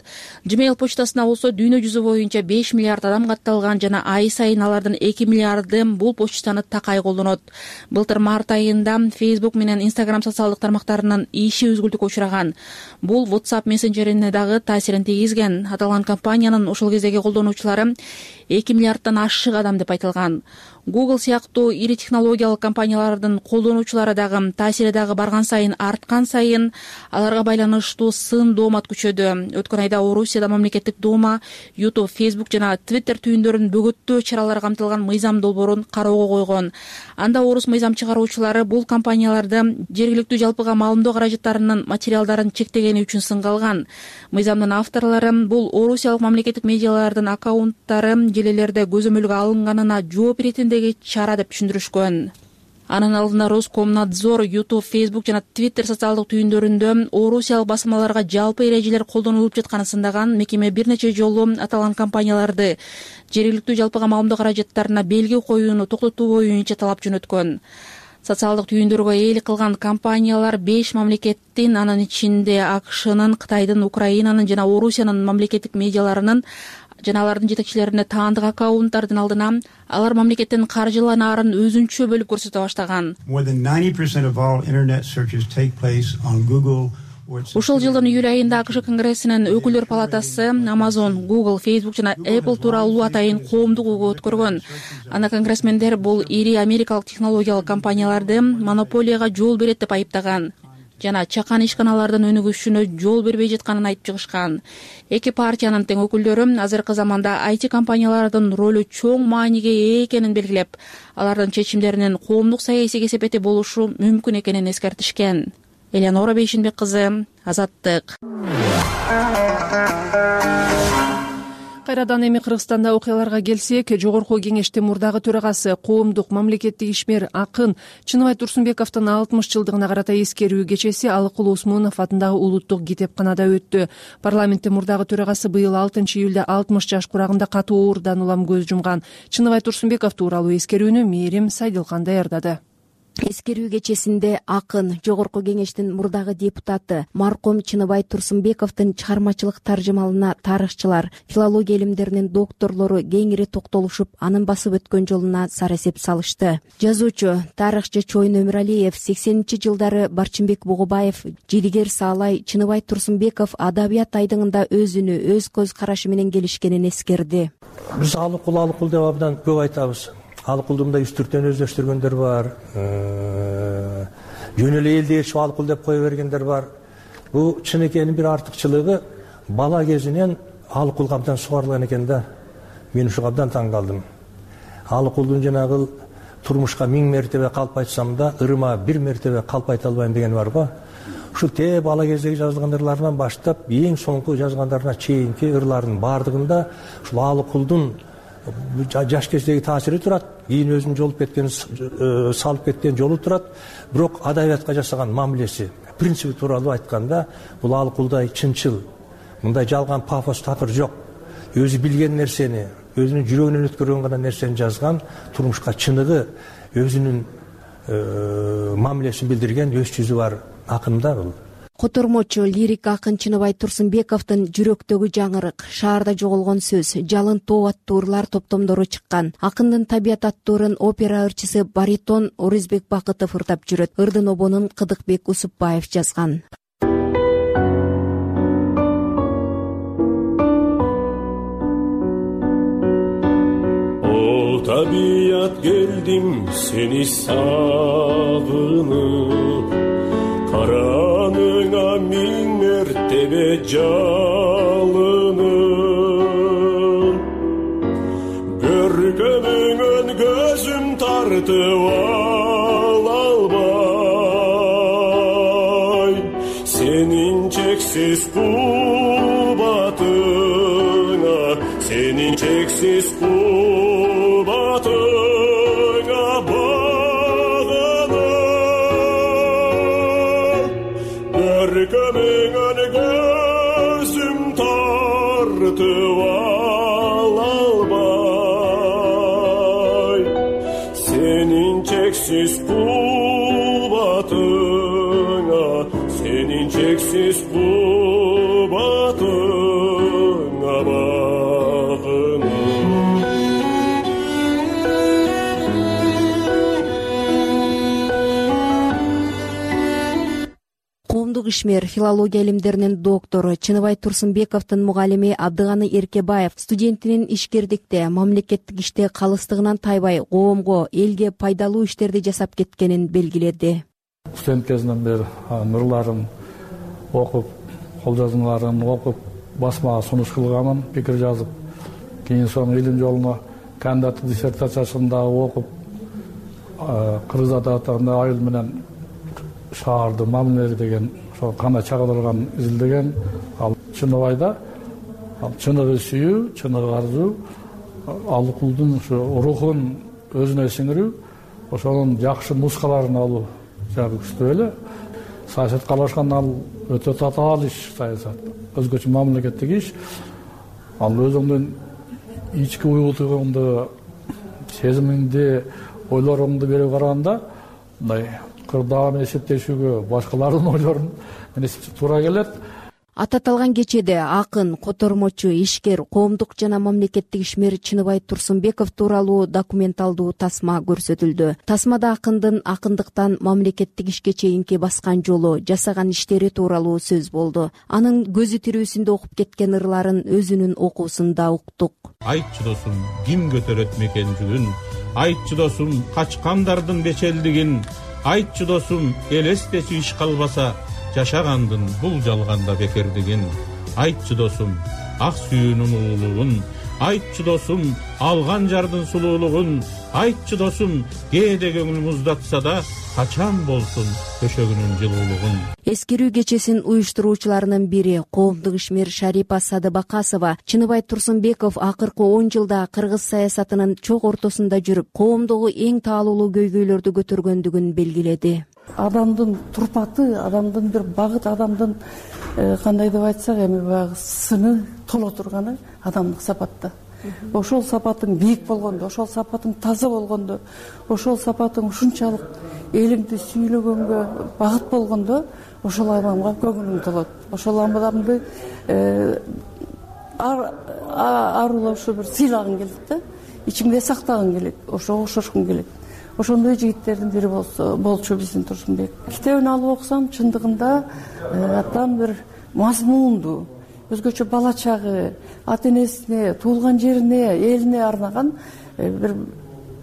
Gmail почтасына болсо дүйнө жүзү боюнча 5 миллиард адам катталган жана ай сайын алардын 2 миллиарды бул почтаны такай колдонот. Былтыр март айында Facebook менен Instagram социалдык тармактарынын иши үзгүлтүккө учураган. Бул WhatsApp мессенджерине дагы таасирин тийгизген. Аталган компаниянын ошол кездеги колдонуучулары 2 миллиардтан ашык адам деп айтылган. Google сыяктуу ири технологиялык компаниялардын колдонуучулары дагы таасири дагы барган сайын арткан сайын аларга байланыштуу сын доомат күчөдү. Өткөн айда Орусияда мамлекеттик Дума YouTube, Facebook жана Twitter түйүндөрүн бөгөттөө чаралар камтылган мыйзам долбоорун кароого койгон. Анда орус мыйзам чыгаруучулары бул компанияларды жергиликтүү жалпыга маалымдоо каражаттарынын материалдарын чектегени үчүн сынга алган. Мыйзамдын авторлору бул орусиялык мамлекеттик медиалардын аккаунттары желелерде көзөмөлгө алынганына жооп иретиндеги чара деп түшүндүрүшкөн. Анын алдында Роскомнадзор YouTube, Facebook жана Twitter социалдык түйүндөрүндө орусиялык басмаларга жалпы эрежелер колдонулуп жатканын сындаган. Мекеме бир нече жолу аталган компанияларды жергиликтүү жалпыга маалымдоо каражаттарына белги коюуну токтотуу боюнча талап жөнөткөн. Социалдык түйүндөргө ээлик кылган компаниялар 5 мамлекеттин, анын ичинде АКШнын, Кытайдын, Украинанын жана Орусиянын мамлекеттик медиаларынын жана алардын жетекчилерине таандык аккаунттардын алдына алар мамлекеттин каржыланаарын өзүнчө бөлүп көрсөтө баштаган. Ушул жылдын июль айында АКШ Конгрессинин өкүлдөр палатасы Amazon, Google, Facebook жана Apple тууралуу атайын коомдук угуу өткөргөн. Анда конгрессмендер бул ири америкалык технологиялык компанияларды монополияга жол берет деп айыптаган жана чакан ишканалардын өнүгүшүнө жол бербей жатканын айтып чыгышкан. Эки партиянын тең өкүлдөрү азыркы заманда IT компаниялардын ролу чоң мааниге ээ экенин белгилеп, алардын чечимдеринин коомдук саясий кесепети болушу мүмкүн экенин эскертишкен. Элеонора Бейшинбек кызы, Азаттык. Кайрадан эми Кыргызстанда окуяларга келсек, Жогорку Кеңештин мурдагы төрагасы, коомдук мамлекеттик ишмер акын Чыныбай Турсунбековдун 60 жылдыгына карата эскерүү кечеси Алыкул Усмунов атындагы улуттук китепканада өттү. Парламенттин мурдагы төрагасы быйыл 6 июлда 60 жаш курагында катуу оорудан улам көз жумган. Чыныбай Турсунбеков тууралуу эскерүүнү Мээрим Сайдылкан даярдады. Эскерүү кечесинде акын Жогорку Кеңештин мурдагы депутаты маркум Чыныбай Турсунбековдун чыгармачылык таржымалына тарыхчылар, филология илимдеринин докторлору кеңири токтолушуп, анын басып өткөн жолуна сара эсеп салышты. Жазуучу, тарыхчы Чойн Өмүралиев, 80-жылдары Барчынбек Бугубаев, Жидигер Саалай, Чыныбай Турсунбеков адабият айдыңында өзүнү, өз көз карашы менен келишкенин эскерди. Биз алыкул деп абдан көп айтабыз. Алыкулду мындай үстүртөн өздөштүргөндөр бар, жөн эле элди ээрчип алыкул деп кое бергендер бар. Бул чынекенин бир артыкчылыгы, бала кезинен алыкул абдан сугарылган экен да. Мен ушуга абдан таң калдым. Алыкулдун жанагы турмушка 1000 мертебе калп айтсам да, ырыма 1 мертебе калп айта албайм деген бар го. Ушул бала кездеги жазылган ырларынан баштап, эң соңку жазгандарына чейинки ырлардын бардыгында ушул алыкулдун жаш кездеги таасири турат, кийин өзүн жолуп кеткен, салып кеткен жолу турат. Бирок адабиятка жасаган мамилеси, принципи тууралуу айтканда, бул алыкулдай чынчыл, мындай жалган пафос такыр жок. Өзү билген нерсени, өзүнүн жүрөгүнөн өткөргөн гана нерсени жазган, турмушка чыныгы, өзүнүн мамилесин билдирген өз жүзү бар акын да бул. Котормочу лирик акын Чыныбай Турсунбековдун жүрөктөгү жаңырык, шаарда жоголгон сөз, жалын тоо аттуу ырлар топтомдору чыккан. Акындын табият аттуу ырын опера ырчысы баритон Орузбек Бакытов ырдап жүрөт. Ырдын обонун Кыдыкбек Усупбаев жазган. О табият келдим сени сагынып, караныңа миң мертебе жалынып, көркөмүңөн көзүм тартып ала албай, сенин чексиз кубатыңа, сенин чексиз кубатыңа багынып, көркөмүңөн көзүм тартып ала албай, сенин чексиз кубатыңа, сенин чексиз кубатыңа багынып. Коомдук ишмер, филология илимдеринин доктору Чыныбай Турсунбековдун мугалими Абдыганы Эркебаев студентинин ишкердикте, мамлекеттик иште калыстыгынан тайбай коомго, элге пайдалуу иштерди жасап кеткенин белгиледи. Студент кезинен бери нурларын окуп, кол жазмаларын окуп, басмага сунуш кылганмын, пикир жазып, кийин соң илим жолуна кандидаттык диссертациясын дагы окуп, Кыргыз адабиятында айыл менен шаарды мамилелери деген ошо кандай чагылдырган изилдеген. Ал Чыныбайда чыныгы сүйүү, чыныгы арзуу, алыкулдун ушу рухун өзүнө сиңирүү, ошонун жакшы нускаларын алуу жагы күчтүү эле. Саясатка аралашкан ал өтө татаал иш, саясат өзгөчө мамлекеттик иш. Ал өзүңдүн ички уюлтугуңду, сезимиңди, ойлоруңду берип караганда мындай кырдаан эсептешүүгө, башкалардын ойлорун эсептешүүгө туура келет. Ататалган кечеде акын, котормочу, ишкер, коомдук жана мамлекеттик ишмер Чыныбай Турсунбеков тууралуу документалдуу тасма көрсөтүлдү. Тасмада акындын акындыктан мамлекеттик ишке чейинки баскан жолу, жасаган иштери тууралуу сөз болду. Анын көзү тирүүсүндө окуп кеткен ырларын өзүнүн окуусунда уктук. Айтчы досум, ким көтөрөт мекенжүгүн, айтчы досум, качкандардын бечелдигин, айтчы досум, элестечи иш калбаса, жашагандын бул жалганда бекердигин. Айтчы досум, ак сүйүүнүн улуулугун, айтчы досум, алган жардын сулуулугун, айтчы досум, кээде көңүл муздатса да, качан болсун төшөгүнүн жылуулугун. Эскерүү кечесин уюштуруучуларынын бири коомдук ишмер Шарипа Садыбакасова Чыныбай Турсунбеков акыркы 10 жылда кыргыз саясатынын чок ортосунда жүрүп, коомдогу эң таалуулуу көйгөйлөрдү көтөргөндүгүн белгиледи. Адамдын турпаты, адамдын бир багыт, адамдын кандай деп айтсак, эми баягы сыны толо турганы адамдык сапатта. Ошол сапатың бийик болгондо, ошол сапатың таза болгондо, ошол сапатың ушунчалык элиңди сүйлөгөнгө багыт болгондо, ошол адамга көңүлүң толот. Ошол адамды арулап ушу бир сыйлагың келет да, ичиңде сактагың келет, ошого окшошкуң келет. Ошондой жигиттердин бири болчу биздин Турсунбек. Китебин алып окусам, чындыгында атан бир мазмундуу, өзгөчө бала чагы, ата энесине, туулган жерине, элине арнаган бир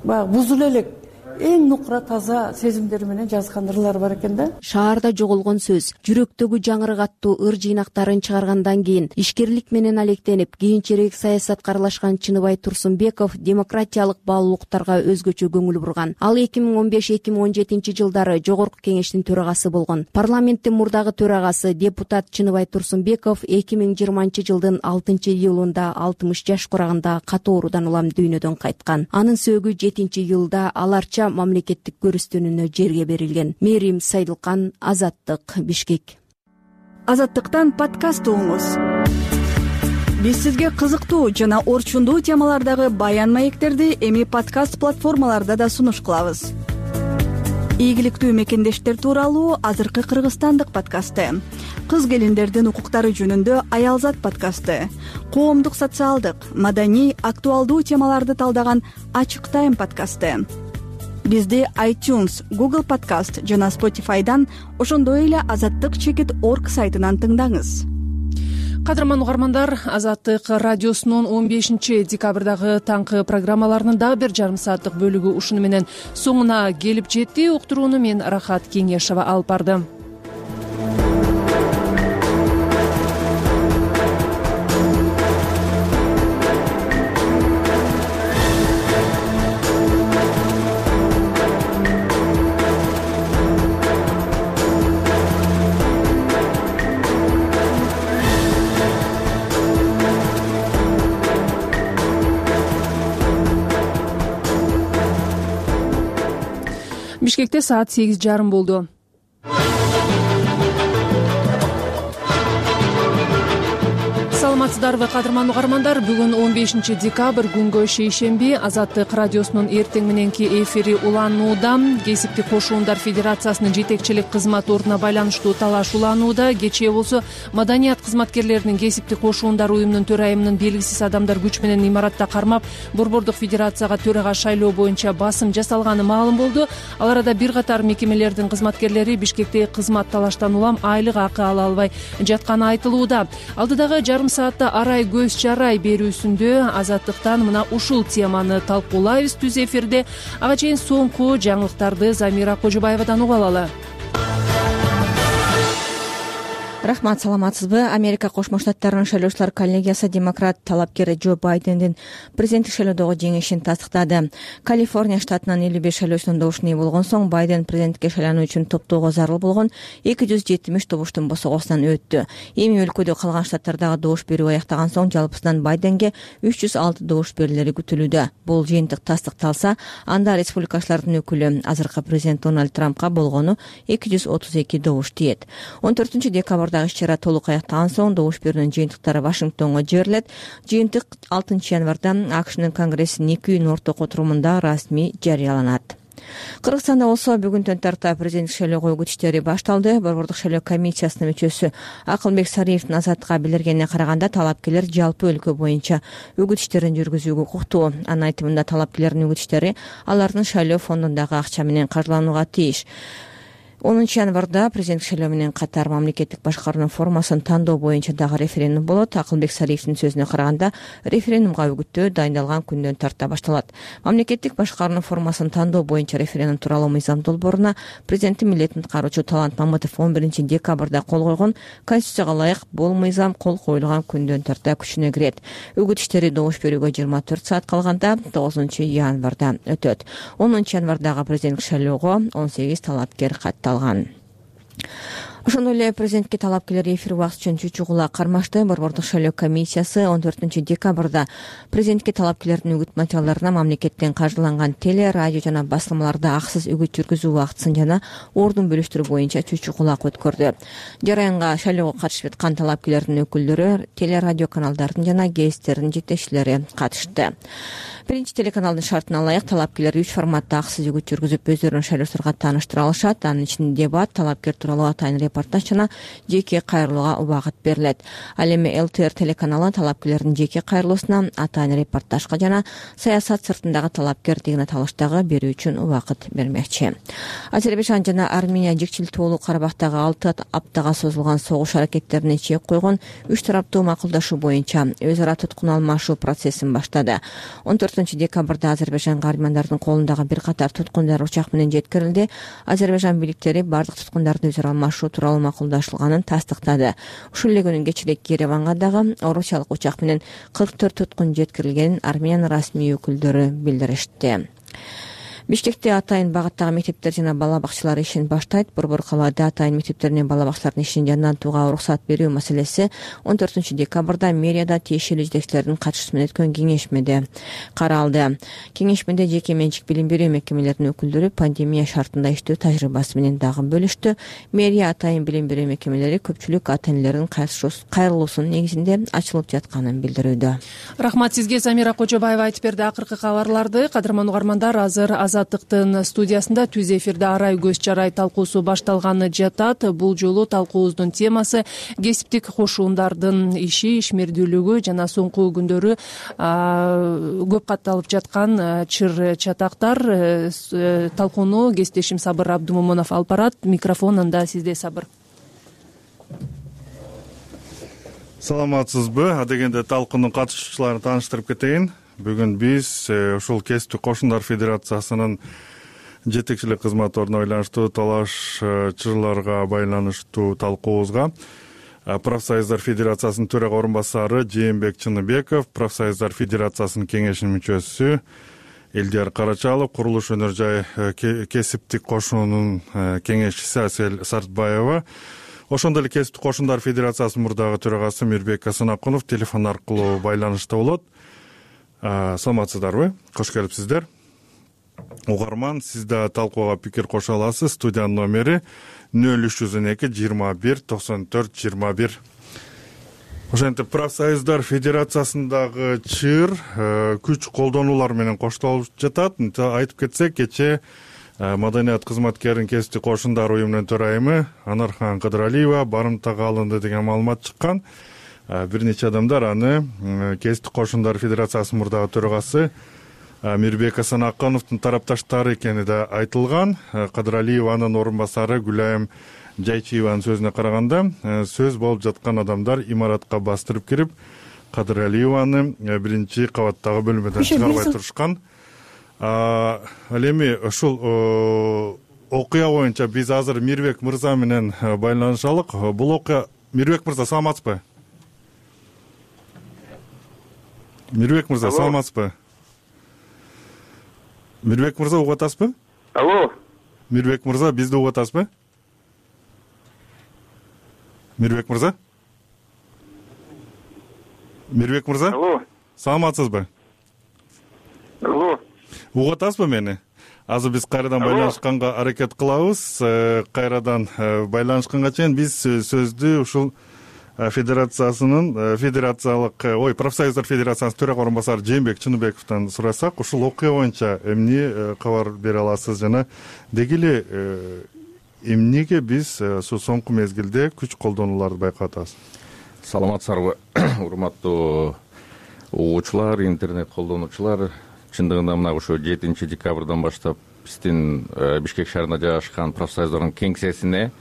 баягы бузул элек эң нукура таза сезимдери менен жазган ырлар бар экен да. Шаарда жоголгон сөз, жүрөктөгү жаңырык аттуу ыр жыйнактарын чыгаргандан кийин ишкерлик менен алектенип, кийинчерээк саясатка аралашкан Чыныбай Турсунбеков демократиялык баалуулуктарга өзгөчө көңүл бурган. Ал 2015-2017 жылдары Жогорку Кеңештин төрагасы болгон. Парламенттин мурдагы төрагасы депутат Чыныбай Турсунбеков 2020 жылдын 6-июлунда 60 жаш курагында катуу оорудан улам дүйнөдөн кайткан. Анын сөөгү 7-июлда аларча мамлекеттик көрүстөнүүнө жерге берилген. Мерим Сайдылкан, Азаттык, Бишкек. Азаттыктан подкаст угуңуз. Биз сизге кызыктуу жана орчундуу темалардагы баян маектерди эми подкаст платформаларда да сунуш кылабыз. Ийгиликтүү мекендештер тууралуу азыркы кыргызстандык подкасты, кыз келиндердин укуктары жөнүндө Аялзат подкасты, коомдук, социалдык, маданий, актуалдуу темаларды талдаган Ачык Тайм подкасты. Бизди iTunes, Google Podcast жана Spotify'дан, ошондой эле Азаттык-org сайтынан тыңдаңыз. Кадырман угармандар, Азаттык радиосунун 15 декабрдагы таңкы программаларынын дагы бир жарым сааттык бөлүгү ушуну менен соңуна келип жетти. Уктурууну мен Рахат Кеңешова алып бардым. Бишкекте саат 8:30 болду. Саламатсыздарбы, кадырман угармандар? Бүгүн 15 декабрь күнгө шейшемби. Азаттык радиосунун эртең мененки эфири уланууда. Кесиптик кошуундар федерациясынын жетекчилик кызмат ордуна байланыштуу талаш уланууда. Кечээ болсо маданият кызматкерлеринин кесиптик кошуундар уюмунун төрайымынын белгисиз адамдар күч менен имаратта кармап, Борбордук федерацияга төрага шайлоо боюнча басым жасалганы маалым болду. Ал арада бир катар мекемелердин кызматкерлери Бишкекте кызмат талаштан улам айлык акы ала албай жатканы айтылууда. Алдыдагы жарым саатта арай көз чарай берүүсүндө Азаттыктан мына ушул теманы талкуулайбыз түз эфирде. Ага чейин соңку жаңылыктарды Замира Кожобаевадан угуп алалы. Рахмат, саламатсызбы? Америка Кошмо Штаттарынын шайлоочулар коллегиясы демократ талапкер Джо Байдендин президенттик шайлоодогу жеңишин тастыктады. Калифорния штатынын 55 шайлоочунун добушуна ээ болгон соң Байден президентке шайлануу үчүн топтоого зарыл болгон 270 добуштун босогосунан өттү. Эми өлкөдө калган штаттардагы добуш берүү аяктаган соң жалпысынан Байденге 306 добуш берилери күтүлүүдө. Бул жыйынтык тастыкталса, анда республикачылардын өкүлү азыркы президент Дональд Трампка болгону 232 добуш тиет. 14 декабрда иш-чара толук аяктаган соң добуш берүүнүн жыйынтыктары Вашингтонго жиберилет. Жыйынтык 6 январда АКШнын Конгрессинин 2 күн орток отурумунда расмий жарыяланат. Кыргызстанда болсо бүгүнтөн тарта президенттик шайлоого үгүт иштери башталды. Борбордук шайлоо комиссиясынын мүчөсү Акылбек Сариевдин Азаттыкка билдиргенине караганда, талапкерлер жалпы өлкө боюнча үгүт иштерин жүргүзүүгө укуктуу. Анын айтымында талапкерлердин үгүт иштери алардын шайлоо фондундагы акча менен каржыланууга тийиш. 10 январда президенттик шайлоо менен катар мамлекеттик башкаруунун формасын тандоо боюнча дагы референдум болот. Акылбек Сариевдин сөзүнө караганда, референдумга үгүттөө дайындалган күндөн тарта башталат. Мамлекеттик башкаруунун формасын тандоо боюнча референдум тууралуу мыйзам долбооруна президенттин милдетин аткаруучу Талант Мамытов 11 декабрда кол койгон. Конституцияга ылайык бул мыйзам кол коюлган күндөн тарта күчүнө кирет. Үгүт иштери добуш берүүгө 24 саат калганда 9 январда өтөт. 10 январдагы президенттик шайлоого 18 талапкер катталган. Ошондой эле президентке талапкерлер эфир убакыты үчүн чүчү кулак кармашты. Борбордук шайлоо комиссиясы 14 декабрда президентке талапкерлердин үгүт материалдарына мамлекеттен каржыланган теле, радио жана басылмаларда акысыз үгүт жүргүзүү убактысын жана ордун бөлүштүрүү боюнча чүчү кулак өткөрдү. Жараянга шайлоого катышып аткан талапкерлердин өкүлдөрү, теле, радио каналдардын жана гезиттердин жетекчилери катышты. Биринчи телеканалдын шартына ылайык талапкерлер 3 форматта акысыз үгүт жүргүзүп өздөрүн шайлоочуларга тааныштыра алышат. Анын ичинде дебат, талапкер тууралуу атайын репортаж жана жеке кайрылууга убакыт берилет. Ал эми ЛТР телеканалы талапкерлердин жеке кайрылуусуна, атайын репортажга жана саясат сыртындагы талапкер деген аталыштагы берүү үчүн убакыт бермекчи. Азербайжан жана Армения жикчил тоолуу Карабактагы 6 аптага созулган согуш аракеттерине чек койгон 3 тараптуу макулдашуу боюнча өз ара туткун алмашуу процессин баштады. 14 декабрда Азербайжанга армяндардын колундагы бир катар туткундар учак менен жеткирилди. Азербайжан бийликтери бардык туткундарды өз ара алмашуу тууралуу макулдашылганын тастыктады. Ушул эле күнүн кечинде Ереванга дагы орусиялык учак менен 44 туткун жеткирилгенин Армениянын расмий өкүлдөрү билдиришти. Бишкекте атайын багыттагы мектептер жана бала бакчалар ишин баштайт. Борбор калаада атайын мектептеринен бала бакчалардын ишин жандантууга уруксат берүү маселеси 14 декабрда мэрияда тиешелүү жетекчилердин катышуусу менен өткөн кеңешмеде каралды. Кеңешмеде жеке менчик билим берүү мекемелеринин өкүлдөрү пандемия шартында иштөө тажрыйбасы менен дагы бөлүштү. Мэрия атайын билим берүү мекемелери көпчүлүк ата энелердин кайрылуусунун негизинде ачылып жатканын билдирүүдө. Рахмат сизге, Замира Кожобаева айтып берди акыркы кабарларды. Кадырман угармандар, азыр Азаттыктын студиясында түз эфирде арай көз чарай талкуусу башталганы жатат. Бул жолу талкуубуздун темасы кесиптик кошуундардын иши, ишмердүүлүгү жана соңку күндөрү көп катталып жаткан чыр чатактар. Талкууну кесиптешим Сабыр Абдумомонов алып барат. Микрофон анда сизде, Сабыр. Саламатсызбы? Адегенде талкуунун катышуучуларын тааныштырып кетейин. Бүгүн биз ушул Кесиптик кошундар федерациясынын жетекчилик кызматоруна байланыштуу талашчыларга байланыштуу талкуубузга Профсоюздар федерациясынын төрага орун басары Жээнбек Чыныбеков, Профсоюздар федерациясынын кеңешинин мүчөсү Элдияр Карачалов, курулуш өнөр жай Кесиптик кошунунун кеңешчиси Асель Сартбаева, ошондой эле Кесиптик кошундар федерациясынын мурдагы төрагасы Мирбек Асанакунов телефон аркылуу байланышта болот. Саламатсыздарбы? Кош келипсиздер. Угарман, сиз да талкууга пикир кошо аласыз. Студиянын номери 0302 21 94 21. Ошентип Профсоюздар федерациясындагы чыр күч колдонуулар менен коштолуп жатат. Айтып кетсек, кечээ маданият кызматкеринин Кесиптик кошундар уюмунун төрайымы Анархан Кыдыралиева барымтага алынды деген маалымат чыккан. Бир нече адамдар аны Кесиптик кошундар федерациясынын мурдагы төрагасы Мирбек Асанакуновдун тарапташтары экени да айтылган. Кыдыралиеванын орун басары Гүлайым Жайчиеванын сөзүнө караганда, сөз болуп жаткан адамдар имаратка бастырып кирип, Кыдыралиеваны биринчи кабаттагы бөлмөдөн чыгарбай турушкан. Ал эми ушул окуя боюнча биз азыр Мирбек мырза менен байланышалык. Бул окуя Мирбек мырза, саламатсызбы? Мирбек мырза, саламатсызбы? Мирбек мырза, угуп атасызбы? Алло. Мирбек мырза, бизди угуп атасызбы? Мирбек мырза? Мирбек мырза? Алло. Саламатсызбы? Алло. Угуп атасызбы мени? Азыр биз кайрадан байланышканга аракет кылабыз. Кайрадан байланышканга чейин биз сөздү ушул Профсоюздар федерациясынын төрага орун басары Жээнбек Чыныбековдон сурасак, ушул окуя боюнча эмне кабар бере аласыз жана деги эле эмнеге биз соңку мезгилде күч колдонууларды байкап атабыз? Саламатсыздарбы, урматтуу угуучулар, интернет колдонуучулар. Чындыгында мына ошо 7 декабрдан баштап биздин Бишкек шаарында жайгашкан профсоюздардын кеңсесине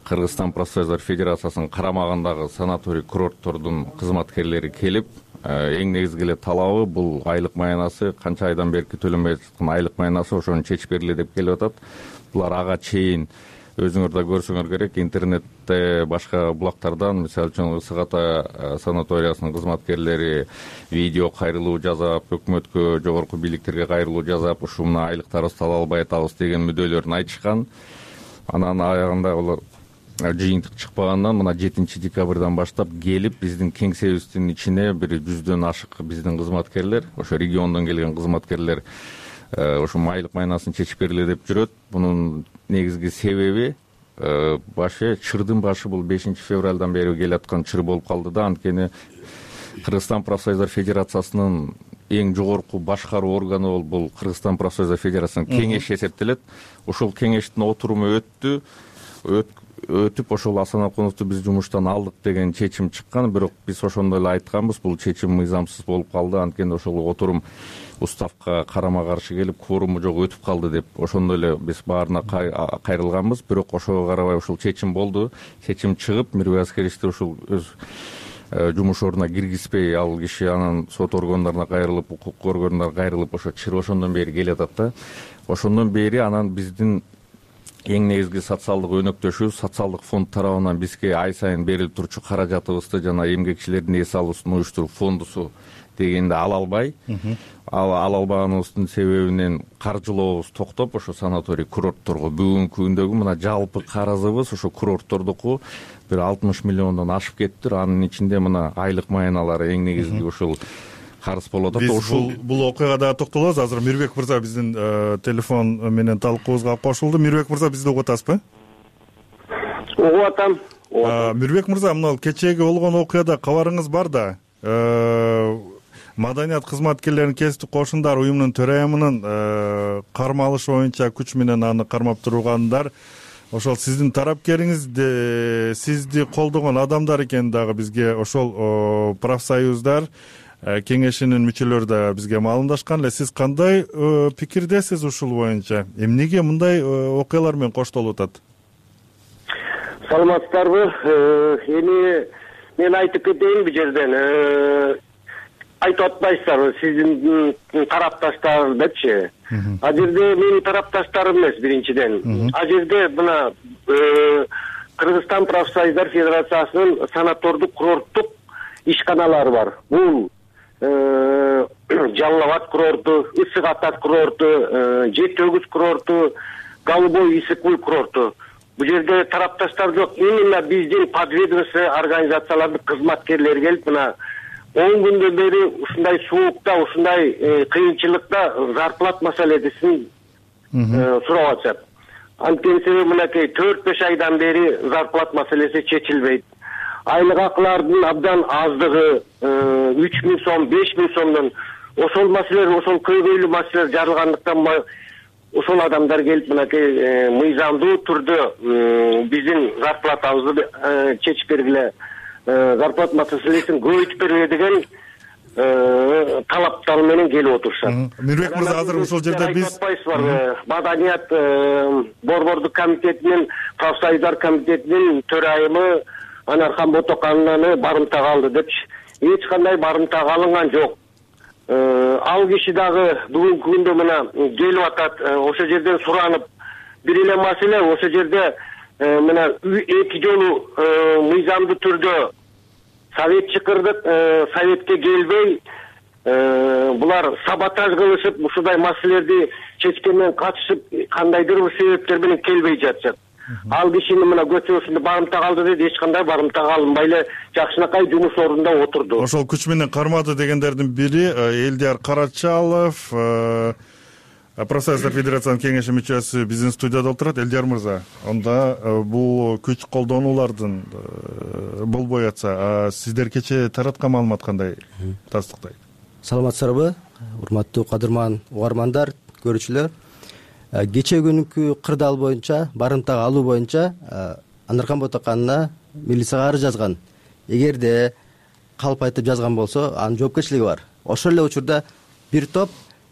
Кыргызстан профсоюздар федерациясынын карамагындагы санаторий курорттордун кызматкерлери келип, эң негизги эле талабы бул айлык маянасы, канча айдан бери төлөнбөй жаткан айлык маянасы ошону чечип бергиле деп келип атат. Булар ага чейин өзүңөр да көрсөңөр керек, интернетте башка булактардан, мисалы үчүн Ысык Ата санаториясынын кызматкерлери видео кайрылуу жасап, өкмөткө, жогорку бийликтерге кайрылуу жасап, ушу мына айлыктарыбызды ала албай атабыз деген мүдөлөрүн айтышкан. Анан аягында алар жыйынтык чыкпагандан мына 7 декабрдан баштап келип биздин кеңсебиздин ичине бир 100дөн ашык биздин кызматкерлер, ошо региондон келген кызматкерлер ошо айлык майнасын чечип бергиле деп жүрөт. Бунун негизги себеби чырдын башы бул 5 февралдан бери келаткан чыр болуп калды да, анткени Кыргызстан профсоюздар федерациясынын эң жогорку башкаруу органы бул Кыргызстан профсоюздар федерациясынын кеңеши эсептелет. Ошол кеңештин отуруму өтүп ошол Асанакуновду биз жумуштан алдык деген чечим чыккан, бирок биз ошондой эле айтканбыз, бул чечим мыйзамсыз болуп калды, анткени ошол отурум уставка карама каршы келип, кворуму жок өтүп калды деп ошондой эле биз баарына кайрылганбыз. Бирок ошого карабай ушул чечим болду. Чечим чыгып, Мирбек Аскеровичти ушул өз жумуш ордуна киргизбей, ал киши анан сот органдарына кайрылып, укук органдарына кайрылып, ошо чыр ошондон бери келатат да. Ошондон бери анан биздин эң негизги социалдык өнөктөшүбүз социалдык фонд тарабынан бизге ай сайын берилип турчу каражатыбызды жана эмгекчилердин эс алуусун уюштуруп фондусу дегенди ала албай, ала албаганыбыздын себебинен каржылообуз токтоп, ошо санаторий курортторго бүгүнкү күндөгү мына жалпы карызыбыз ошо курорттордуку бир 60 миллиондон ашып кетиптир. Анын ичинде мына айлык маяналары эң негизги ушул карыз болуп атат. Биз бул окуяга дагы токтолобуз. Азыр Мирбек мырза биздин телефон менен талкуубузга кошулду. Мирбек мырза, бизди угуп атасызбы? Угуп атам. Мирбек мырза, мына кечээги болгон окуяда кабарыңыз бар да. Маданият кызматкерлеринин Кесиптик кошундар уюмунун төрайымынын кармалышы боюнча күч менен аны кармап тургандар ошол сиздин тарапкериңизди, сизди колдогон адамдар экени дагы бизге ошол профсоюздар кеңешинин мүчөлөрү да бизге маалымдашкан эле. Сиз кандай пикирдесиз ушул боюнча? Эмнеге мындай окуялар менен коштолуп атат? Саламатсыздарбы? Эми мен айтып кетейин бул жерден айтып атпайсыздарбы сиздин тарапташтар депчи. А жерде менин тарапташтарым эмес биринчиден. А жерде мына Кыргызстан профсоюздар федерациясынын санатордук курорттук ишканалары бар. Бул Жалал Абад курорту, Ысык Ата курорту, Жети Өгүз курорту, Голубой Исыкуль курорту. Бул жерде тарапташтар жок. Именно биздин подведомство организациялардын кызматкерлери келип мына 10 күндөн бери ушундай суукта, ушундай кыйынчылыкта зарплат маселесин сурап атышат. Анткени себеби мынакей 4-5 айдан бери зарплат маселеси чечилбейт. Айлык акылардын абдан аздыгы 3000 сом, 5000 сомдон ошол маселелер, ошол көйгөйлүү маселелер жарылгандыктан ошол адамдар келип мынакей мыйзамдуу түрдө биздин зарплатабызды чечип бергиле, зарплат маселесин көбөйтүп бергиле деген талаптар менен келип отурушат. Мирбек мырза, азыр ушул жерде биз Маданият борбордук комитетинин, профсоюздар комитетинин төрайымы Анархан Ботокананы барымтага алды депчи. Эч кандай барымтага алынган жок. Ал киши дагы бүгүнкү күндө мына келип атат, ошол жерден суранып, бир эле маселе ошол жерде мына 2 жолу мыйзамдуу түрдө совет чакырдык, советке келбей булар саботаж кылышып, ушундай маселелерди чечкенден качышып, кандайдыр бир себептер менен келбей жатышат. Ал кишини мына көчөсүндө барымтага алды деди, эч кандай барымтага алынбай эле жакшынакай жумуш ордунда отурду. Ошол күч менен кармады дегендердин бири Элдияр Карачалов, профсоюздар федерациянын кеңеши мүчөсү биздин студияда отурат. Элдияр мырза, онда бул күч колдонуулардын болбой атса, сиздер кечээ тараткан маалымат кандай тастыктайт? Саламатсыздарбы, урматтуу кадырман угармандар, көрүүчүлөр. Кечээ күнкү кырдаал боюнча, барымтага алуу боюнча Анархан Ботоканына милицияга арыз жазган. Эгерде калп айтып жазган болсо, анын жоопкерчилиги бар. Ошол эле учурда бир топ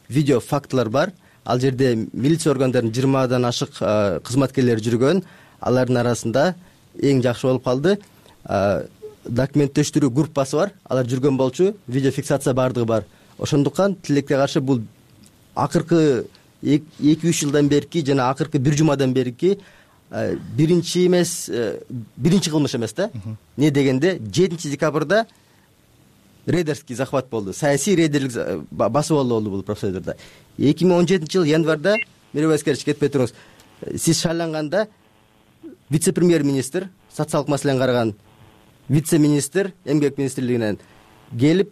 видео фактылар бар. Ал жерде милиция органдарынын 20дан ашык кызматкерлери жүргөн. Алардын арасында эң жакшы болуп калды. Документтештирүү группасы бар. Алар жүргөн болчу, видео фиксация бардыгы бар. Ошондуктан тилекке каршы бул акыркы 2-3 жылдан берки жана акыркы 1 жумадан берки биринчи эмес, биринчи кылмыш эмес да. Не дегенде 7 декабрда рейдерский захват болду. Саясий рейдерлик басып алуу болду профсоюздарда. 2017 жыл январда Мирбек кетпей туруңуз. Сиз шайланганда вице-премьер-министр, социалдык маселени караган вице-министр эмгек министрлигинен келип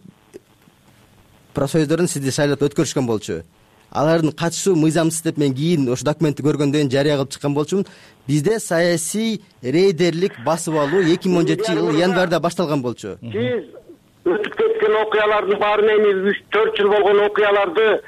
профсоюздордун сизди шайлап өткөрүшкөн болчу. Алардын катышуу мыйзамсыз деп мен кийин ошо документти көргөндөн кийин жарыя кылып чыккан болчумун. Бизде саясий рейдерлик басып алуу 2017 жыл январда башталган болчу. Сиз өтүп кеткен окуялардын баарын эми 3-4 жыл болгон окуяларды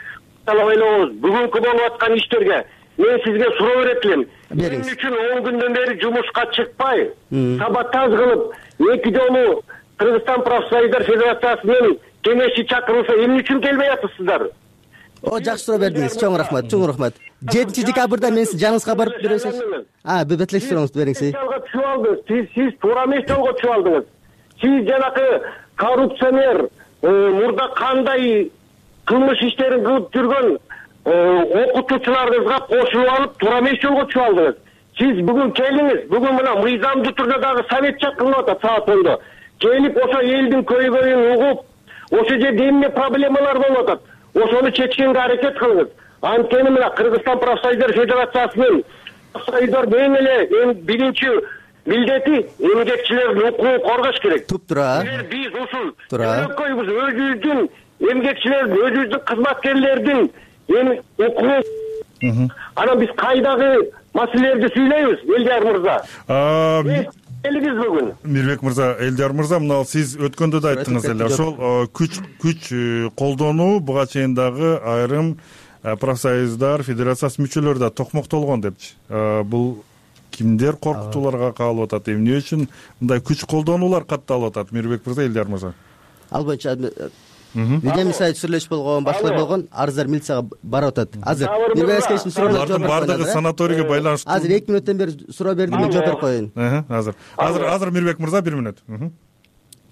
талап ойлоңуз. Бүгүнкү болуп аткан иштерге мен сизге суроо берет элем. Эмне үчүн 10 күндөн бери жумушка чыкпай, саботаж кылып, 2 жолу Кыргызстан профсоюздар федерациясынын кеңеши чакырылса, эмне үчүн келбей атасыздар? Жакшы суроо бердиңиз. Чоң рахмат, чоң рахмат. 7 декабрда мен сиз жаныңызга барып бересиз. Бетлек сурооңузду бериңиз. Сиз туура эмес жолго түшүп алдыңыз. Сиз жанакы коррупционер, мурда кандай кылмыш иштерин кылып жүргөн окутуучуларыңызга кошулуп алып, туура эмес жолго түшүп алдыңыз. Сиз бүгүн келиңиз. Бүгүн мына мыйзамдуу түрдө дагы совет чакырылып атат саат 10-до. Келип ошо элдин көйгөйүн угуп, ошо жерде эмне проблемалар болуп атат, ошону чечкенге аракет кылыңыз. Анткени мына Кыргызстан профсоюздар федерациясынын профсоюздар эң эле биринчи милдети эмгекчилердин укугун коргош керек. Тура. Биз ушул өлкөбүз өзүбүздүн эмгекчилердин, өзүбүздүн кызматкерлердин укугун анан биз кайдагы маселелерди сүйлөйбүз, Элдияр мырза? Элиңиз бүгүн. Мирбек мырза, Элдияр мырза, мына сиз өткөндө да айттыңыз эле, ошол күч колдонуу буга чейин дагы айрым профсоюздар федерациясы мүчөлөрү да токмоктолгон депчи. Бул кимдер коркутууларга кабыл атат, эмне үчүн мындай күч колдонуулар катталып атат? Мирбек мырза, Элдияр мырза. Ал боюнча видео сайт сүйлөшүп болгон, башкалар болгон, арыздар милицияга барып атат. Азыр Мирбековичтин суроону жооп берип бардыгы санаторийге байланыштуу. Азыр 2 мүнөттөн бери суроо бердим, мен жооп берип коеюн. Азыр Мирбек мырза 1 мүнөт.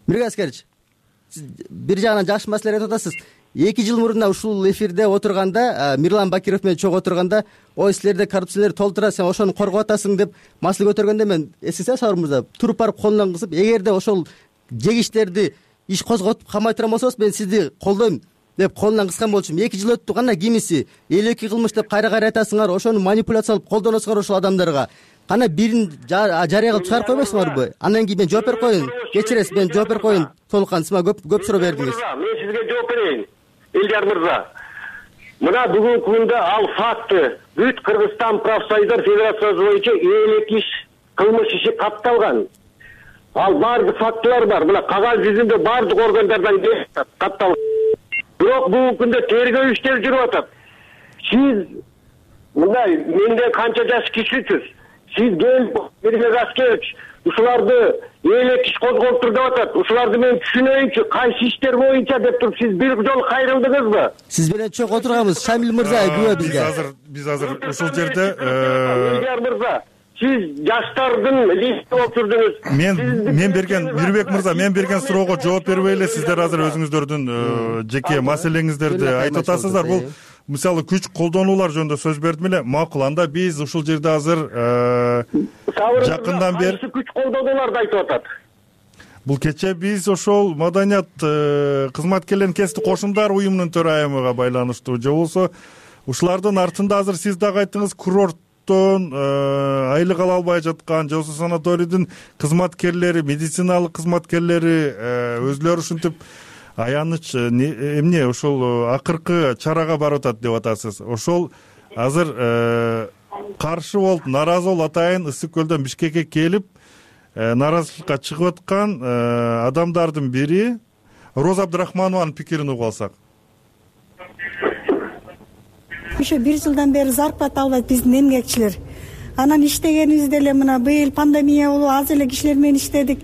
Миргаз аскерович, сиз бир жагынан жакшы маселе айтып атасыз. 2 жыл мурун ушул эфирде отурганда, Мирлан Бакиров менен чогуу отурганда, ой силерде коррупциялер толтура, сен ошону коргоп атасың деп маселе көтөргөндө мен эсиңизде Сабыр мырза туруп барып колунан кысып, эгерде ошол жегичтерди иш козготуп камай турган болсоңуз, мен сизди колдойм деп колунан кыскан болчумун. 2 жыл өттү, кандай кимиси 52 кылмыш деп кайра айтасыңар, ошону манипуляциялап колдоносуңар ошол адамдарга. Кана бирин жарыя кылып чыгарып койбойсуңарбы? Андан кийин мен жооп берип коеюн. Кечиресиз, мен жооп берип коеюн. Толукан, сиз мага көп суроо бердиңиз. Мен сизге жооп берейин. Элдер мырза, мына бүгүнкү күндө ал факты бүт Кыргызстан профсоюздар федерациясы боюнча 52 кылмыш иши катталган. Ал баардык фактылар бар. Мына кагаз жүзүндө баардык органдардан катталган. Бирок бүгүнкү күндө тергөө иштери жүрүп атат. Сиз мындай менде канча жаш кишисиз? Сиз Миргаз Аскерович ушуларды элек иш козголуптур деп атат. Ушуларды мен түшүнөйүнчү, кайсы иштер боюнча деп туруп сиз бир жолу кайрылдыңызбы? Сиз менен чогуу отурганбыз. Шамил мырза күбө бизге. Биз азыр ушул жерде Элдер мырза, сиз жаштардын лидери болуп жүрдүңүз. Мен берген Мирбек мырза, мен берген суроого жооп бербей эле сиздер азыр өзүңүздөрдүн жеке маселеңиздерди айтып атасыздар. Бул мисалы күч колдонуулар жөнүндө сөз бердим эле. Макул, анда биз ушул жерде азыр жакындан бери күч колдонууларды айтып атат. Бул кечээ биз ошол маданият кызматкерлеринин кесиптик кошумдар уюмунун төрайымыга байланыштуу же болбосо ушулардын артында азыр сиз дагы айттыңыз, курорттон айлык ала албай жаткан же болбосо санаторийдин кызматкерлери, медициналык кызматкерлери өзүлөрү ушинтип аяныч эмне ошол акыркы чарага барып атат деп атасыз. Ошол азыр каршы болуп, наразы болуп атайын Ысык көлдөн Бишкекке келип наразычылыкка чыгып аткан адамдардын бири Роза Абдрахманованын пикирин угуп алсак. Ошо 1 жылдан бери зарплата албайт биздин эмгекчилер. Анан иштегенибиз деле мына быйыл пандемия болуп аз эле кишилер менен иштедик.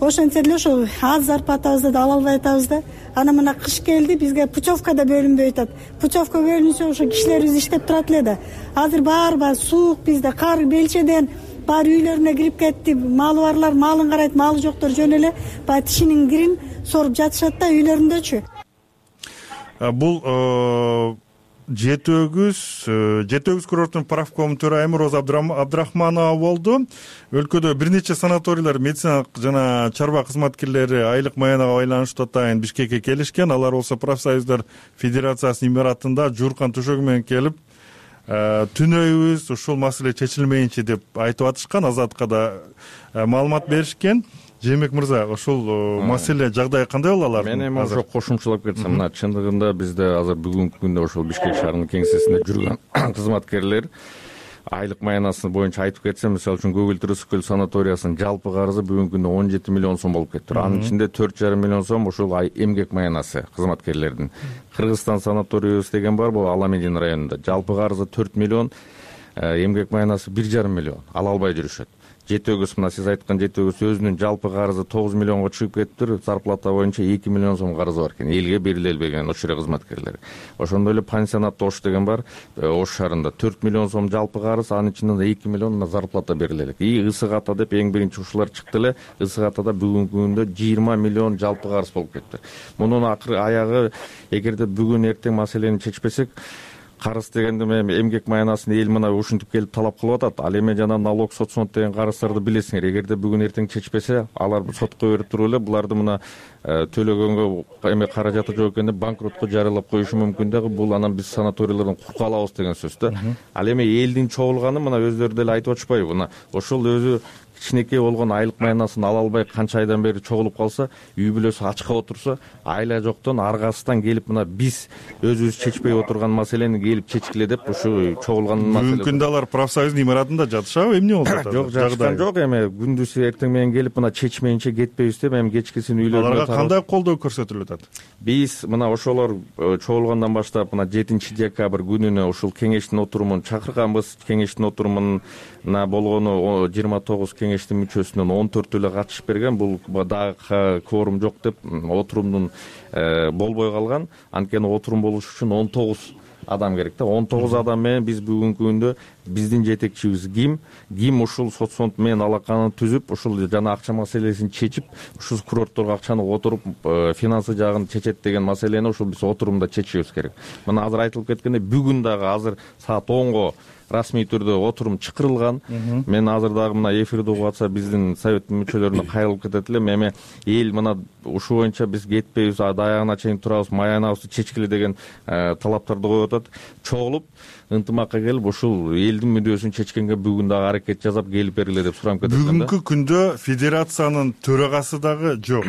Ошентсе деле ошо аз зарплатабызды да ала албай атабыз да. Анан мына кыш келди, бизге путевка да бөлүнбөй атат. Путевка бөлүнсө ошо кишилерибиз иштеп турат эле да. Азыр баары суук, бизде кар белчеден баары үйлөрүнө кирип кетти. Малы барлар малын карайт, малы жоктор жөн эле баягы тишинин кирин соруп жатышат да үйлөрүндөчү. Бул жети өгүз курорттун правком төрайымы Роза Абдрахманова болду. Өлкөдө бир нече санаторийлер, медициналык жана чарба кызматкерлери айлык маянага байланыштуу атайын Бишкекке келишкен. Алар болсо профсоюздар федерациясынын имаратында жууркан төшөгү менен келип, түнөйбүз, ушул маселе чечилмейинчи деп айтып атышкан. Азатка да маалымат беришкен. Жээнбек мырза, ошол маселе жагдай кандай болот алар? Мен эми ошо кошумчалап кетсем, мына чындыгында бизде азыр бүгүнкү күндө ошол Бишкек шаарынын кеңсесинде жүргөн кызматкерлер айлык маянасы боюнча айтып кетсем, мисалы үчүн Көгүлтүр Ысык көл санаториясынын жалпы карызы бүгүнкү күндө 17 миллион сом болуп кетти. Анын ичинде 4,5 миллион сом ошол эмгек маянасы кызматкерлердин. Кыргызстан санаторийбиз деген бар, бул Аламедин районунда. Жалпы карызы 4 миллион, эмгек маянасы 1,5 миллион ала албай жүрүшөт. Жети өгүз, мына сиз айткан жети өгүз өзүнүн жалпы карызы 9 миллионго чыгып кетиптир. Зарплата боюнча 2 миллион сом карызы бар экен. Элге бериле албаган ошол кызматкерлер. Ошондой эле пансионат Ош деген бар, Ош шаарында 4 миллион сом жалпы карыз, анын ичинде 2 миллион зарплата бериле элек. Ысык ата деп эң биринчи ушулар чыкты эле. Ысык атада бүгүнкү күндө 20 миллион жалпы карыз болуп кетти. Мунун акыры аягы эгерде бүгүн эртең маселени чечпесек, карыз дегенде эмгек маянасын эл мына ушинтип келип талап кылып атат. Ал эми жана налог, соцфонд деген карыздарды билесиңер. Эгерде бүгүн эртең чечпесе, алар сотко берип туруп эле буларды мына төлөгөнгө эме каражаты жок экенде банкротко жарыялап коюшу мүмкүн дагы. Бул анан биз санаторийлерден курка алабыз деген сөз да. Ал эми элдин чогулганы мына өздөрү деле айтып атышпайбы? Мына ошол өзү кичинекей болгон айлык маянасын ала албай канча айдан бери чогулуп калса, үй бүлөсү ачка отурса, айла жоктон аргасынан келип мына биз өзүбүз чечпей отурган маселени келип чечкиле деп ушу чогулган маселе. Бүгүнкү күндө алар профсоюздун имаратында жатышабы, эмне болуп атат? Жок, жатышкан жок. Эми күндүз эртең менен келип мына чечмейинче кетпейбиз деп, эми кечкисин үйлөрүнө аларга кандай колдоо көрсөтүлүп атат? Биз мына ошолор чогулгандан баштап мына 7 декабрь күнүнө ушул кеңештин отурумун чакырганбыз. Кеңештин отурумуна болгону 29 кеңештин мүчөсүнөн 14 эле катышып берген. Бул дагы кворум жок деп отурумдун болбой калган. Анткени отурум болуш үчүн 19 адам керек да. 19 адам менен биз бүгүнкү күндө биздин жетекчибиз ким ушул соцфонд менен алаканы түзүп ушул жана акча маселесин чечип ушул курортторго акчаны отуруп финансы жагын чечет деген маселени ушул биз отурумда чечишибиз керек. Мына азыр айтылып кеткендей, бүгүн дагы азыр саат 10го расмий түрдө отурум чакырылган. Мен азыр дагы мына эфирди угуп атса биздин советтин мүчөлөрүнө кайрылып кетет элем. Эми эл мына ушул боюнча биз кетпейбиз, аягына чейин турабыз, маянабызды чечкиле деген талаптарды коюп атат. Чогулуп ынтымакка келип ушул элдин мүдөөсүн чечкенге бүгүн дагы аракет жасап келип бергиле деп суранып кетет элем да. Бүгүнкү күндө федерациянын төрагасы дагы жок,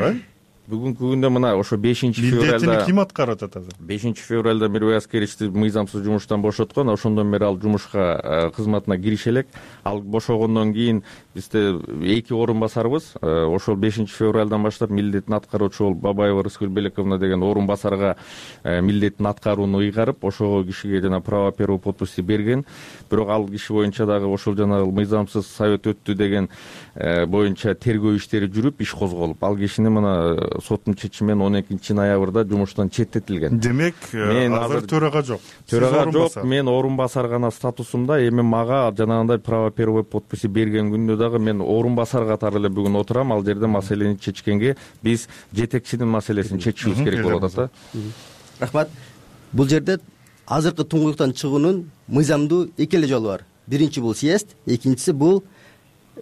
Бүгүнкү күндө мына ошо 5-февралда милдетин ким аткарып атат азыр? 5-февралда Мирбек Аскеровичти мыйзамсыз жумуштан бошоткон, ошондон бери ал жумушка кызматына кирише элек. Ал бошогондон кийин бизде 2 орун басарбыз. Ошол 5-февралдан баштап милдетин аткаруучу болуп Бабаева Рыскүл Белековна деген орун басарга милдетин аткарууну ыйгарып, ошого кишиге жана право первой подписи берген. Бирок ал киши боюнча дагы ошол жана мыйзамсыз совет өттү деген боюнча тергөө иштери жүрүп, иш козголуп, ал кишини мына соттун чечими менен 12-ноябрда жумуштан четтетилген. Демек, азыр төрага жок. Төрага жок, мен орун басар гана статусумда. Эми мага жанагындай право первой подписи берген күндө дагы мен орун басар катары эле бүгүн отурам. Ал жерде маселени чечкенге биз жетекчинин маселесин чечишибиз керек болуп атат. Рахмат. Бул жерде азыркы туңгуюктан чыгуунун мыйзамдуу эки эле жолу бар. Биринчи бул съезд, экинчиси бул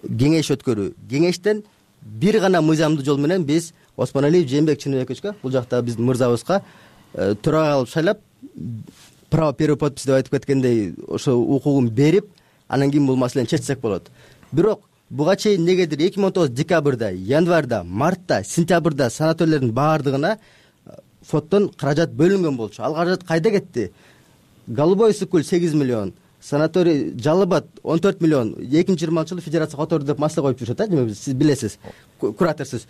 кеңеш өткөрүү. Кеңештен бир гана мыйзамдуу жол менен биз Осмоналиев Жээнбек Чыныбековичке, бул жакта биздин мырзабызга төрага алып шайлап, право первой подписи деп айтып кеткендей ошо укугун берип, анан кийин бул маселени чечсек болот. Бирок буга чейин негедир 2019 декабрда, январда, мартта, сентябрда санаторийлердин баардыгына фонддон каражат бөлүнгөн болчу. Ал каражат кайда кетти? Голубой Ысык-Көл 8 миллион, санаторий Жалал Абад 14 миллион, 2020-жылы федерация которду деп маселе коюп жүрүшөт, сиз билесиз, кураторсуз.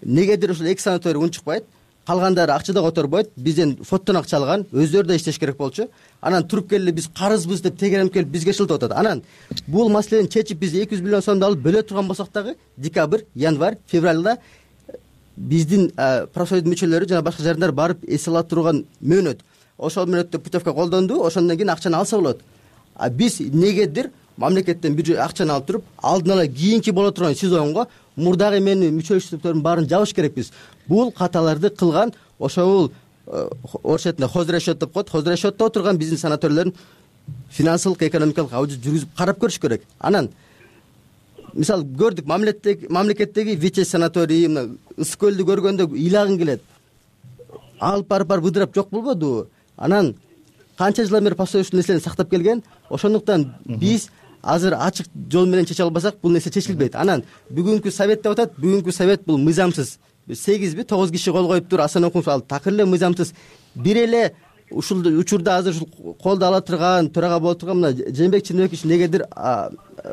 Негедир ушул эки санаторий унчукпайт, калгандары акчада которбойт, бизден фонддон акча алган, өздөрү да иштеш керек болчу. Анан туруп келип биз карызбыз деп тегеренип келип бизге шылтап атат. Анан бул маселени чечип биз 200 миллион сомду алып бөлө турган болсок дагы декабрь, январь, февралда биздин профсоюздун мүчөлөрү жана башка жарандар барып эс ала турган мөөнөт. Ошол мөөнөттө путевка колдонду, ошондон кийин акчаны алса болот. А биз негедир мамлекеттен бир акчаны алып туруп, алдын ала кийинки боло турган сезонго мурдагы эменин мүчөлүктөрдүн баарын жабыш керекпиз. Бул каталарды кылган ошол орусча хозрасчет деп коет, хозрасчетто отурган биздин санаторийлердин финансылык, экономикалык аудит жүргүзүп карап көрүш керек. Анан мисалы көрдүк, мамлекеттеги Виче санаторий, мына Ысык-Көлдү көргөндө ыйлагың келет. Алып барып ыдырап жок болбодубу? Анан канча жылдан бери профсоюз ушул нерселерди сактап келген. Ошондуктан биз азыр ачык жол менен чече албасак, бул нерсе чечилбейт. Анан бүгүнкү совет деп атат, бүгүнкү совет бул мыйзамсыз. 8-9 киши кол коюп тур, Асан Окунов ал такыр эле мыйзамсыз. Бир эле ушул учурда азыр ушул колду ала турган, төрага боло турган мына Жээнбек Чыныбекович негедир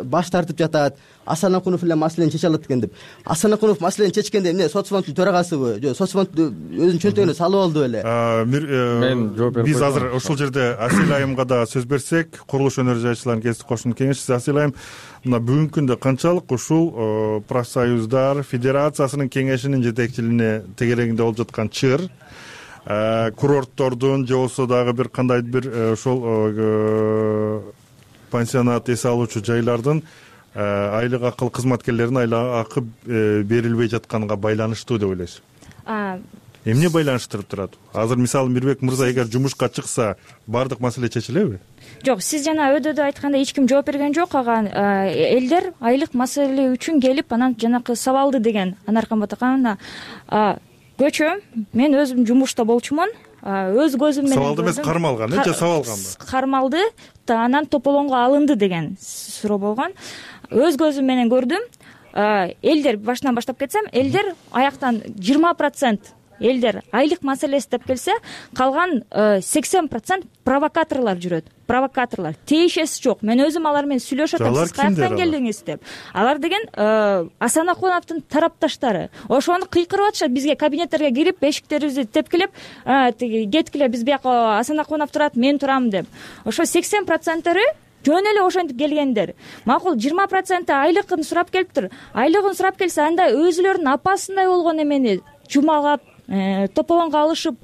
баш тартып жатат. Асан Окунов эле маселени чече алат экен деп. Асан Окунов маселени чечкенде эмне, соцфонддун төрагасыбы? Жок, соцфонд өзүнүн чөнтөгүнө салып алды беле? Мен жооп берип биз азыр ушул жерде Асил айымга да сөз берсек, Курулуш өнөр жайчыларынын кеңештик коштунун кеңешчиси Асил айым, мына бүгүнкү күндө канчалык ушул профсоюздар федерациясынын кеңешинин жетекчилигине тегерегинде болуп жаткан чыр, курорттордун же болбосо дагы бир кандайдыр бир ошол пансионат эс алуучу жайлардын айлык акы кызматкерлеринин айлык акы берилбей жатканга байланыштуу деп ойлойсуз? Эмне байланыштырып турат? Азыр мисалы Мирбек мырза эгер жумушка чыкса, бардык маселе чечилеби? Жок, сиз жана өйдө айткандай эч ким жооп берген жок. Ага элдер айлык маселе үчүн келип, анан жанакы сабалды деген Анаркан Батакановна көчөм. Мен өзүм жумушта болчумун. Өз көзүм менен сабалды эмес, кармалган, же сабалганбы? Кармалды, анан тополонго алынды деген суроо болгон. Өз көзүм менен көрдүм. Элдер башынан баштап кетсем, элдер аяктан 20% элдер айлык маселеси деп келсе, калган 80% провокаторлор жүрөт. Провокаторлор. Тиешеси жок. Мен өзүм алар менен сүйлөшөт атам. Сиз каяктан келдиңиз деп. Алар деген Асан Окуновдун тарапташтары. Ошону кыйкырып атышат, бизге кабинеттерге кирип, эшиктерибизди тепкилеп, кеткиле, биз бияка Асан Окунов турат, мен турам деп. Ошо 80%-ары жөн эле ошентип келгендер. Макул 20% айлыгын сурап келиптир. Айлыгын сурап келсе, анда өзүлөрүнүн апасындай болгон эмени жумалап, тополонго алышып,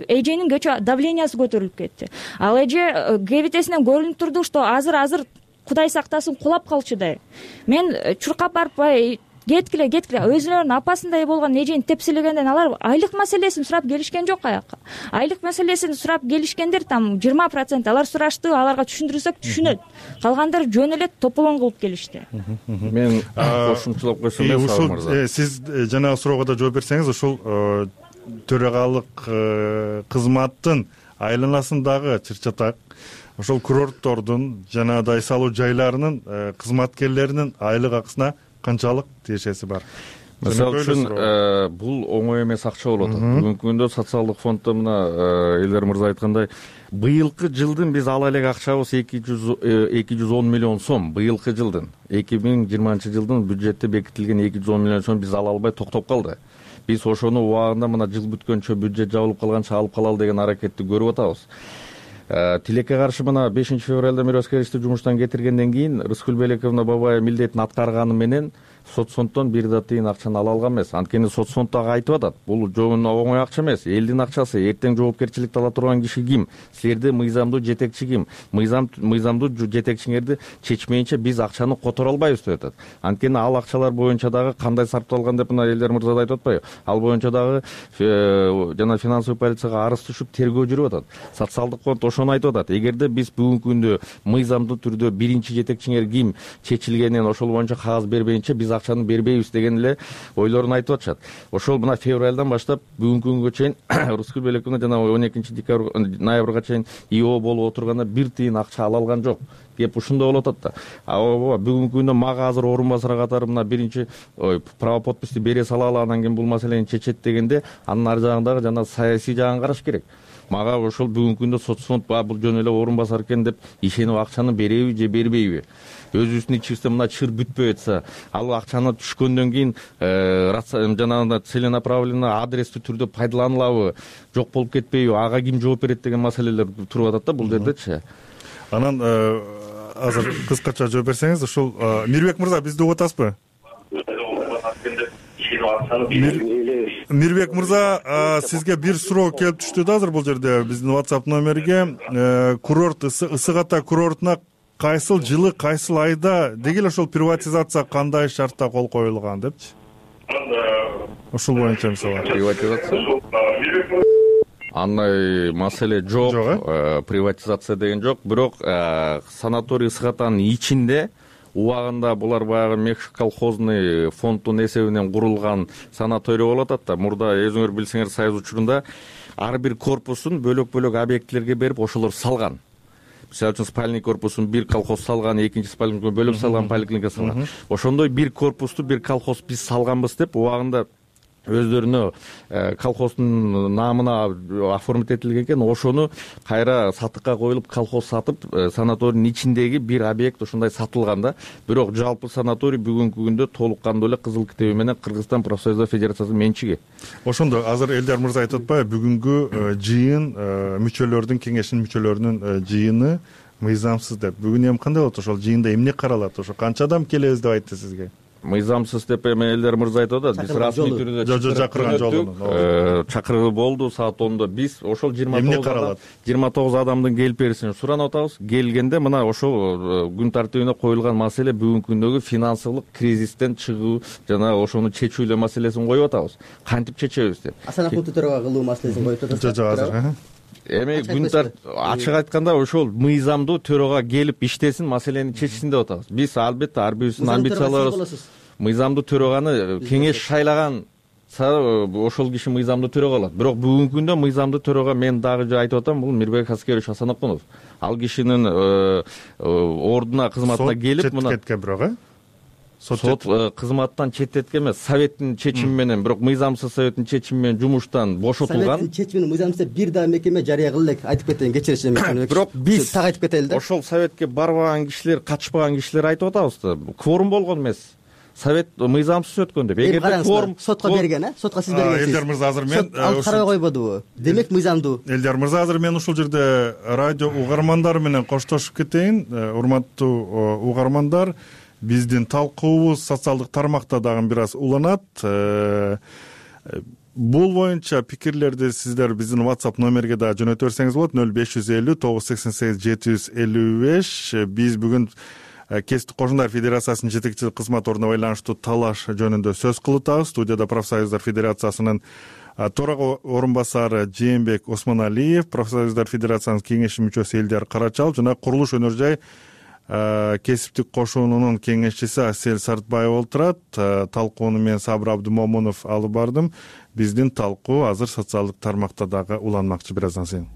эженин давлениясы көтөрүлүп кетти. Ал эже кебетесинен көрүнүп турду, что азыр Кудай сактасын кулап калчудай. Мен чуркап барып кеткиле өзүлөрүнүн апасындай болгон эжени тепселегенден алар айлык маселесин сурап келишкен жок аяка. Айлык маселесин сурап келишкендер там 20%, алар сурашты, аларга түшүндүрсөк түшүнөт. Калгандары жөн эле тополоң кылып келишти. Мен кошумчалап койсом, ушул сиз жанагы суроого да жооп берсеңиз, ушул төрагалык кызматтын айланасындагы чыр-чатак, ошол курорттордун жанагыдай салуу жайларынын кызматкерлеринин айлык акысына канчалык тиешеси бар? Мисалы үчүн бул оңой эмес акча болуп атат. Бүгүнкү күндө социалдык фонддо мына Элдер мырза айткандай, быйылкы жылдын биз ала элек акчабыз 210 миллион сом. Быйылкы жылдын 2020 жылдын бюджетте бекитилген 210 миллион сом биз ала албай токтоп калды. Биз ошону убагында мына жыл бүткөнчө бюджет жабылып калганча алып калалы деген аракетти көрүп атабыз. Тилекке каршы мына 5 февралда Миросковичти жумуштан кетиргенден кийин Рыскүл Белековна Бабаева милдетин аткарганы менен соцфонддон бир да тыйын акчаны ала алган эмес. Анткени соцфонд дагы айтып атат, бул жоон оңой акча эмес, элдин акчасы. Эртең жоопкерчиликти ала турган киши ким? Силерде мыйзамдуу жетекчи ким? Мыйзамдуу жетекчиңерди чечмейинче биз акчаны которо албайбыз деп атат. Анткени ал акчалар боюнча дагы кандай сарпталган деп мына Элдер мырза да айтып атпайбы? Ал боюнча дагы жана финансовый полицияга арыз түшүп тергөө жүрүп атат. Социалдык фонд ошону айтып атат. Эгерде биз бүгүнкү күндө мыйзамдуу түрдө биринчи жетекчиңер ким чечилгенин ошол боюнча кагаз бербейинче биз акчаны бербейбиз деген эле ойлорун айтып атышат. Ошол мына февралдан баштап бүгүнкү күнгө чейин Рыскүл Белековна жана 12 ноябрга чейин ИО болуп отурганда бир тыйын акча ала алган жок. Кеп ушундай болуп атат да. Бүгүнкү күндө мага азыр орун басар катары мына биринчи право подписти бере салалы, анан кийин бул маселени чечет дегенде, анын ар жагындагы жана саясий жагын караш керек. Мага ошол бүгүнкү күндө соцфонд бул жөн эле орун басар экен деп ишенип акчаны береби же бербейби? Өзүбүздүн ичибизде мына чыр бүтпөй атса, ал акчаны түшкөндөн кийин жанагындай целенаправленно адрестүү түрдө пайдаланылабы, жок болуп кетпейби, ага ким жооп берет деген маселелер туруп атат да бул жердечи. Анан азыр кыскача жооп берсеңиз, ушул Мирбек мырза бизди угуп атасызбы? Мирбек мырза, сизге бир суроо келип түштү да азыр бул жерде биздин WhatsApp номерге. Курорт Ысык Ата курортуна кайсыл жылы, кайсыл айда деги эле ошол приватизация кандай шартта кол коюлган депчи? Ушул боюнча мисалы. Приватизация? Андай маселе жок, приватизация деген жок. Бирок санаторий Ысык Атанын ичинде убагында булар баягы Мекшик колхозный фонддун эсебинен курулган санаторий болуп атат да. Мурда өзүңөр билсеңер Союз учурунда ар бир корпусун бөлөк-бөлөк объектилерге берип ошолор салган. Мисалы үчүн спальный корпусун бир колхоз салган, экинчи спальный бөлөк салган, поликлиника салган. Ошондой бир корпусту бир колхоз биз салганбыз деп убагында өздөрүнө колхоздун наамына оформить этилген экен. Ошону кайра сатыкка коюлуп, колхоз сатып, санаторийдин ичиндеги бир объект ушундай сатылган да. Бирок жалпы санаторий бүгүнкү күндө толук кандуу эле кызыл китеби менен Кыргызстан профсоюздар федерациясынын менчиги. Ошондо азыр Элдер мырза айтып атпайбы, бүгүнкү жыйын мүчөлөрдүн, кеңештин мүчөлөрүнүн жыйыны мыйзамсыз деп. Бүгүн эми кандай болот? Ошол жыйында эмне каралат? Ошо канча адам келебиз деп айтты сизге? Мыйзамсыз деп эми Элдер мырза айтып атат. Биз расмий түрдө чакырган жолу чакыруу болду саат 10до. Биз ошол 29 адамдын келип беришин суранып атабыз. Келгенде мына ошол күн тартибине коюлган маселе бүгүнкү күндөгү финансылык кризистен чыгуу жана ошону чечүү эле маселесин коюп атабыз. Кантип чечебиз деп. Санафондду төрага кылуу маселесин коюп атасыз. Жок, азыр эми күн ачык айтканда ошол мыйзамдуу төрага келип иштесин, маселени чечсин деп атабыз. Биз албетте ар бирибиздин амбицияларыбыз мыйзамдуу төраганы кеңеш шайлаган ошол киши мыйзамдуу төрага алат. Бирок бүгүнкү күндө мыйзамдуу төрага мен дагы айтып атам, бул Мирбек Аскерович Асанокунов. Ал кишинин ордуна кызматына келип мына кеткен бирок сот кызматтан четтеткен эмес, советтин чечими менен, бирок мыйзамсыз советтин чечими менен жумуштан бошотулган. Советтин чечими менен мыйзамсыз бир да мекеме жарыя кыла элек, айтып кетейин, кечиришим. Бирок биз так айтып кетели да. Ошол советке барбаган кишилер, катышпаган кишилер айтып атабыз да. Кворум болгон эмес. Совет мыйзамсыз өткөн деп. Эгерде кворум сотко берген, сотко сиз бергенсиз. Элдер мырза, азыр мен алып карабай койбодубу? Демек мыйзамдуу. Элдер мырза, азыр мен ушул жерде радио угармандары менен коштошуп кетейин. Урматтуу угармандар, биздин талкуубуз социалдык тармакта дагы бир аз уланат. бул боюнча пикирлерди сиздер биздин WhatsApp номерге да жөнөтө берсеңиз болот 0550 988 755. Биз бүгүн Кесиптик кошундар федерациясынын жетекчилик кызматоруна байланыштуу талаш жөнүндө сөз кылып атабыз. Студияда профсоюздар федерациясынын төрага орун-басары Жээнбек Осмоналиев, профсоюздар федерациясынын кеңеши мүчөсү Элдияр Карачалов жана курулуш өнөр жай кесиптик кошуунунун кеңешчиси Асель Сартбаева отурат. Талкууну мен Сабыр Абдымомунов алып бардым. Биздин талкуу азыр социалдык тармакта дагы уланмакчы. Бир аздан сайын.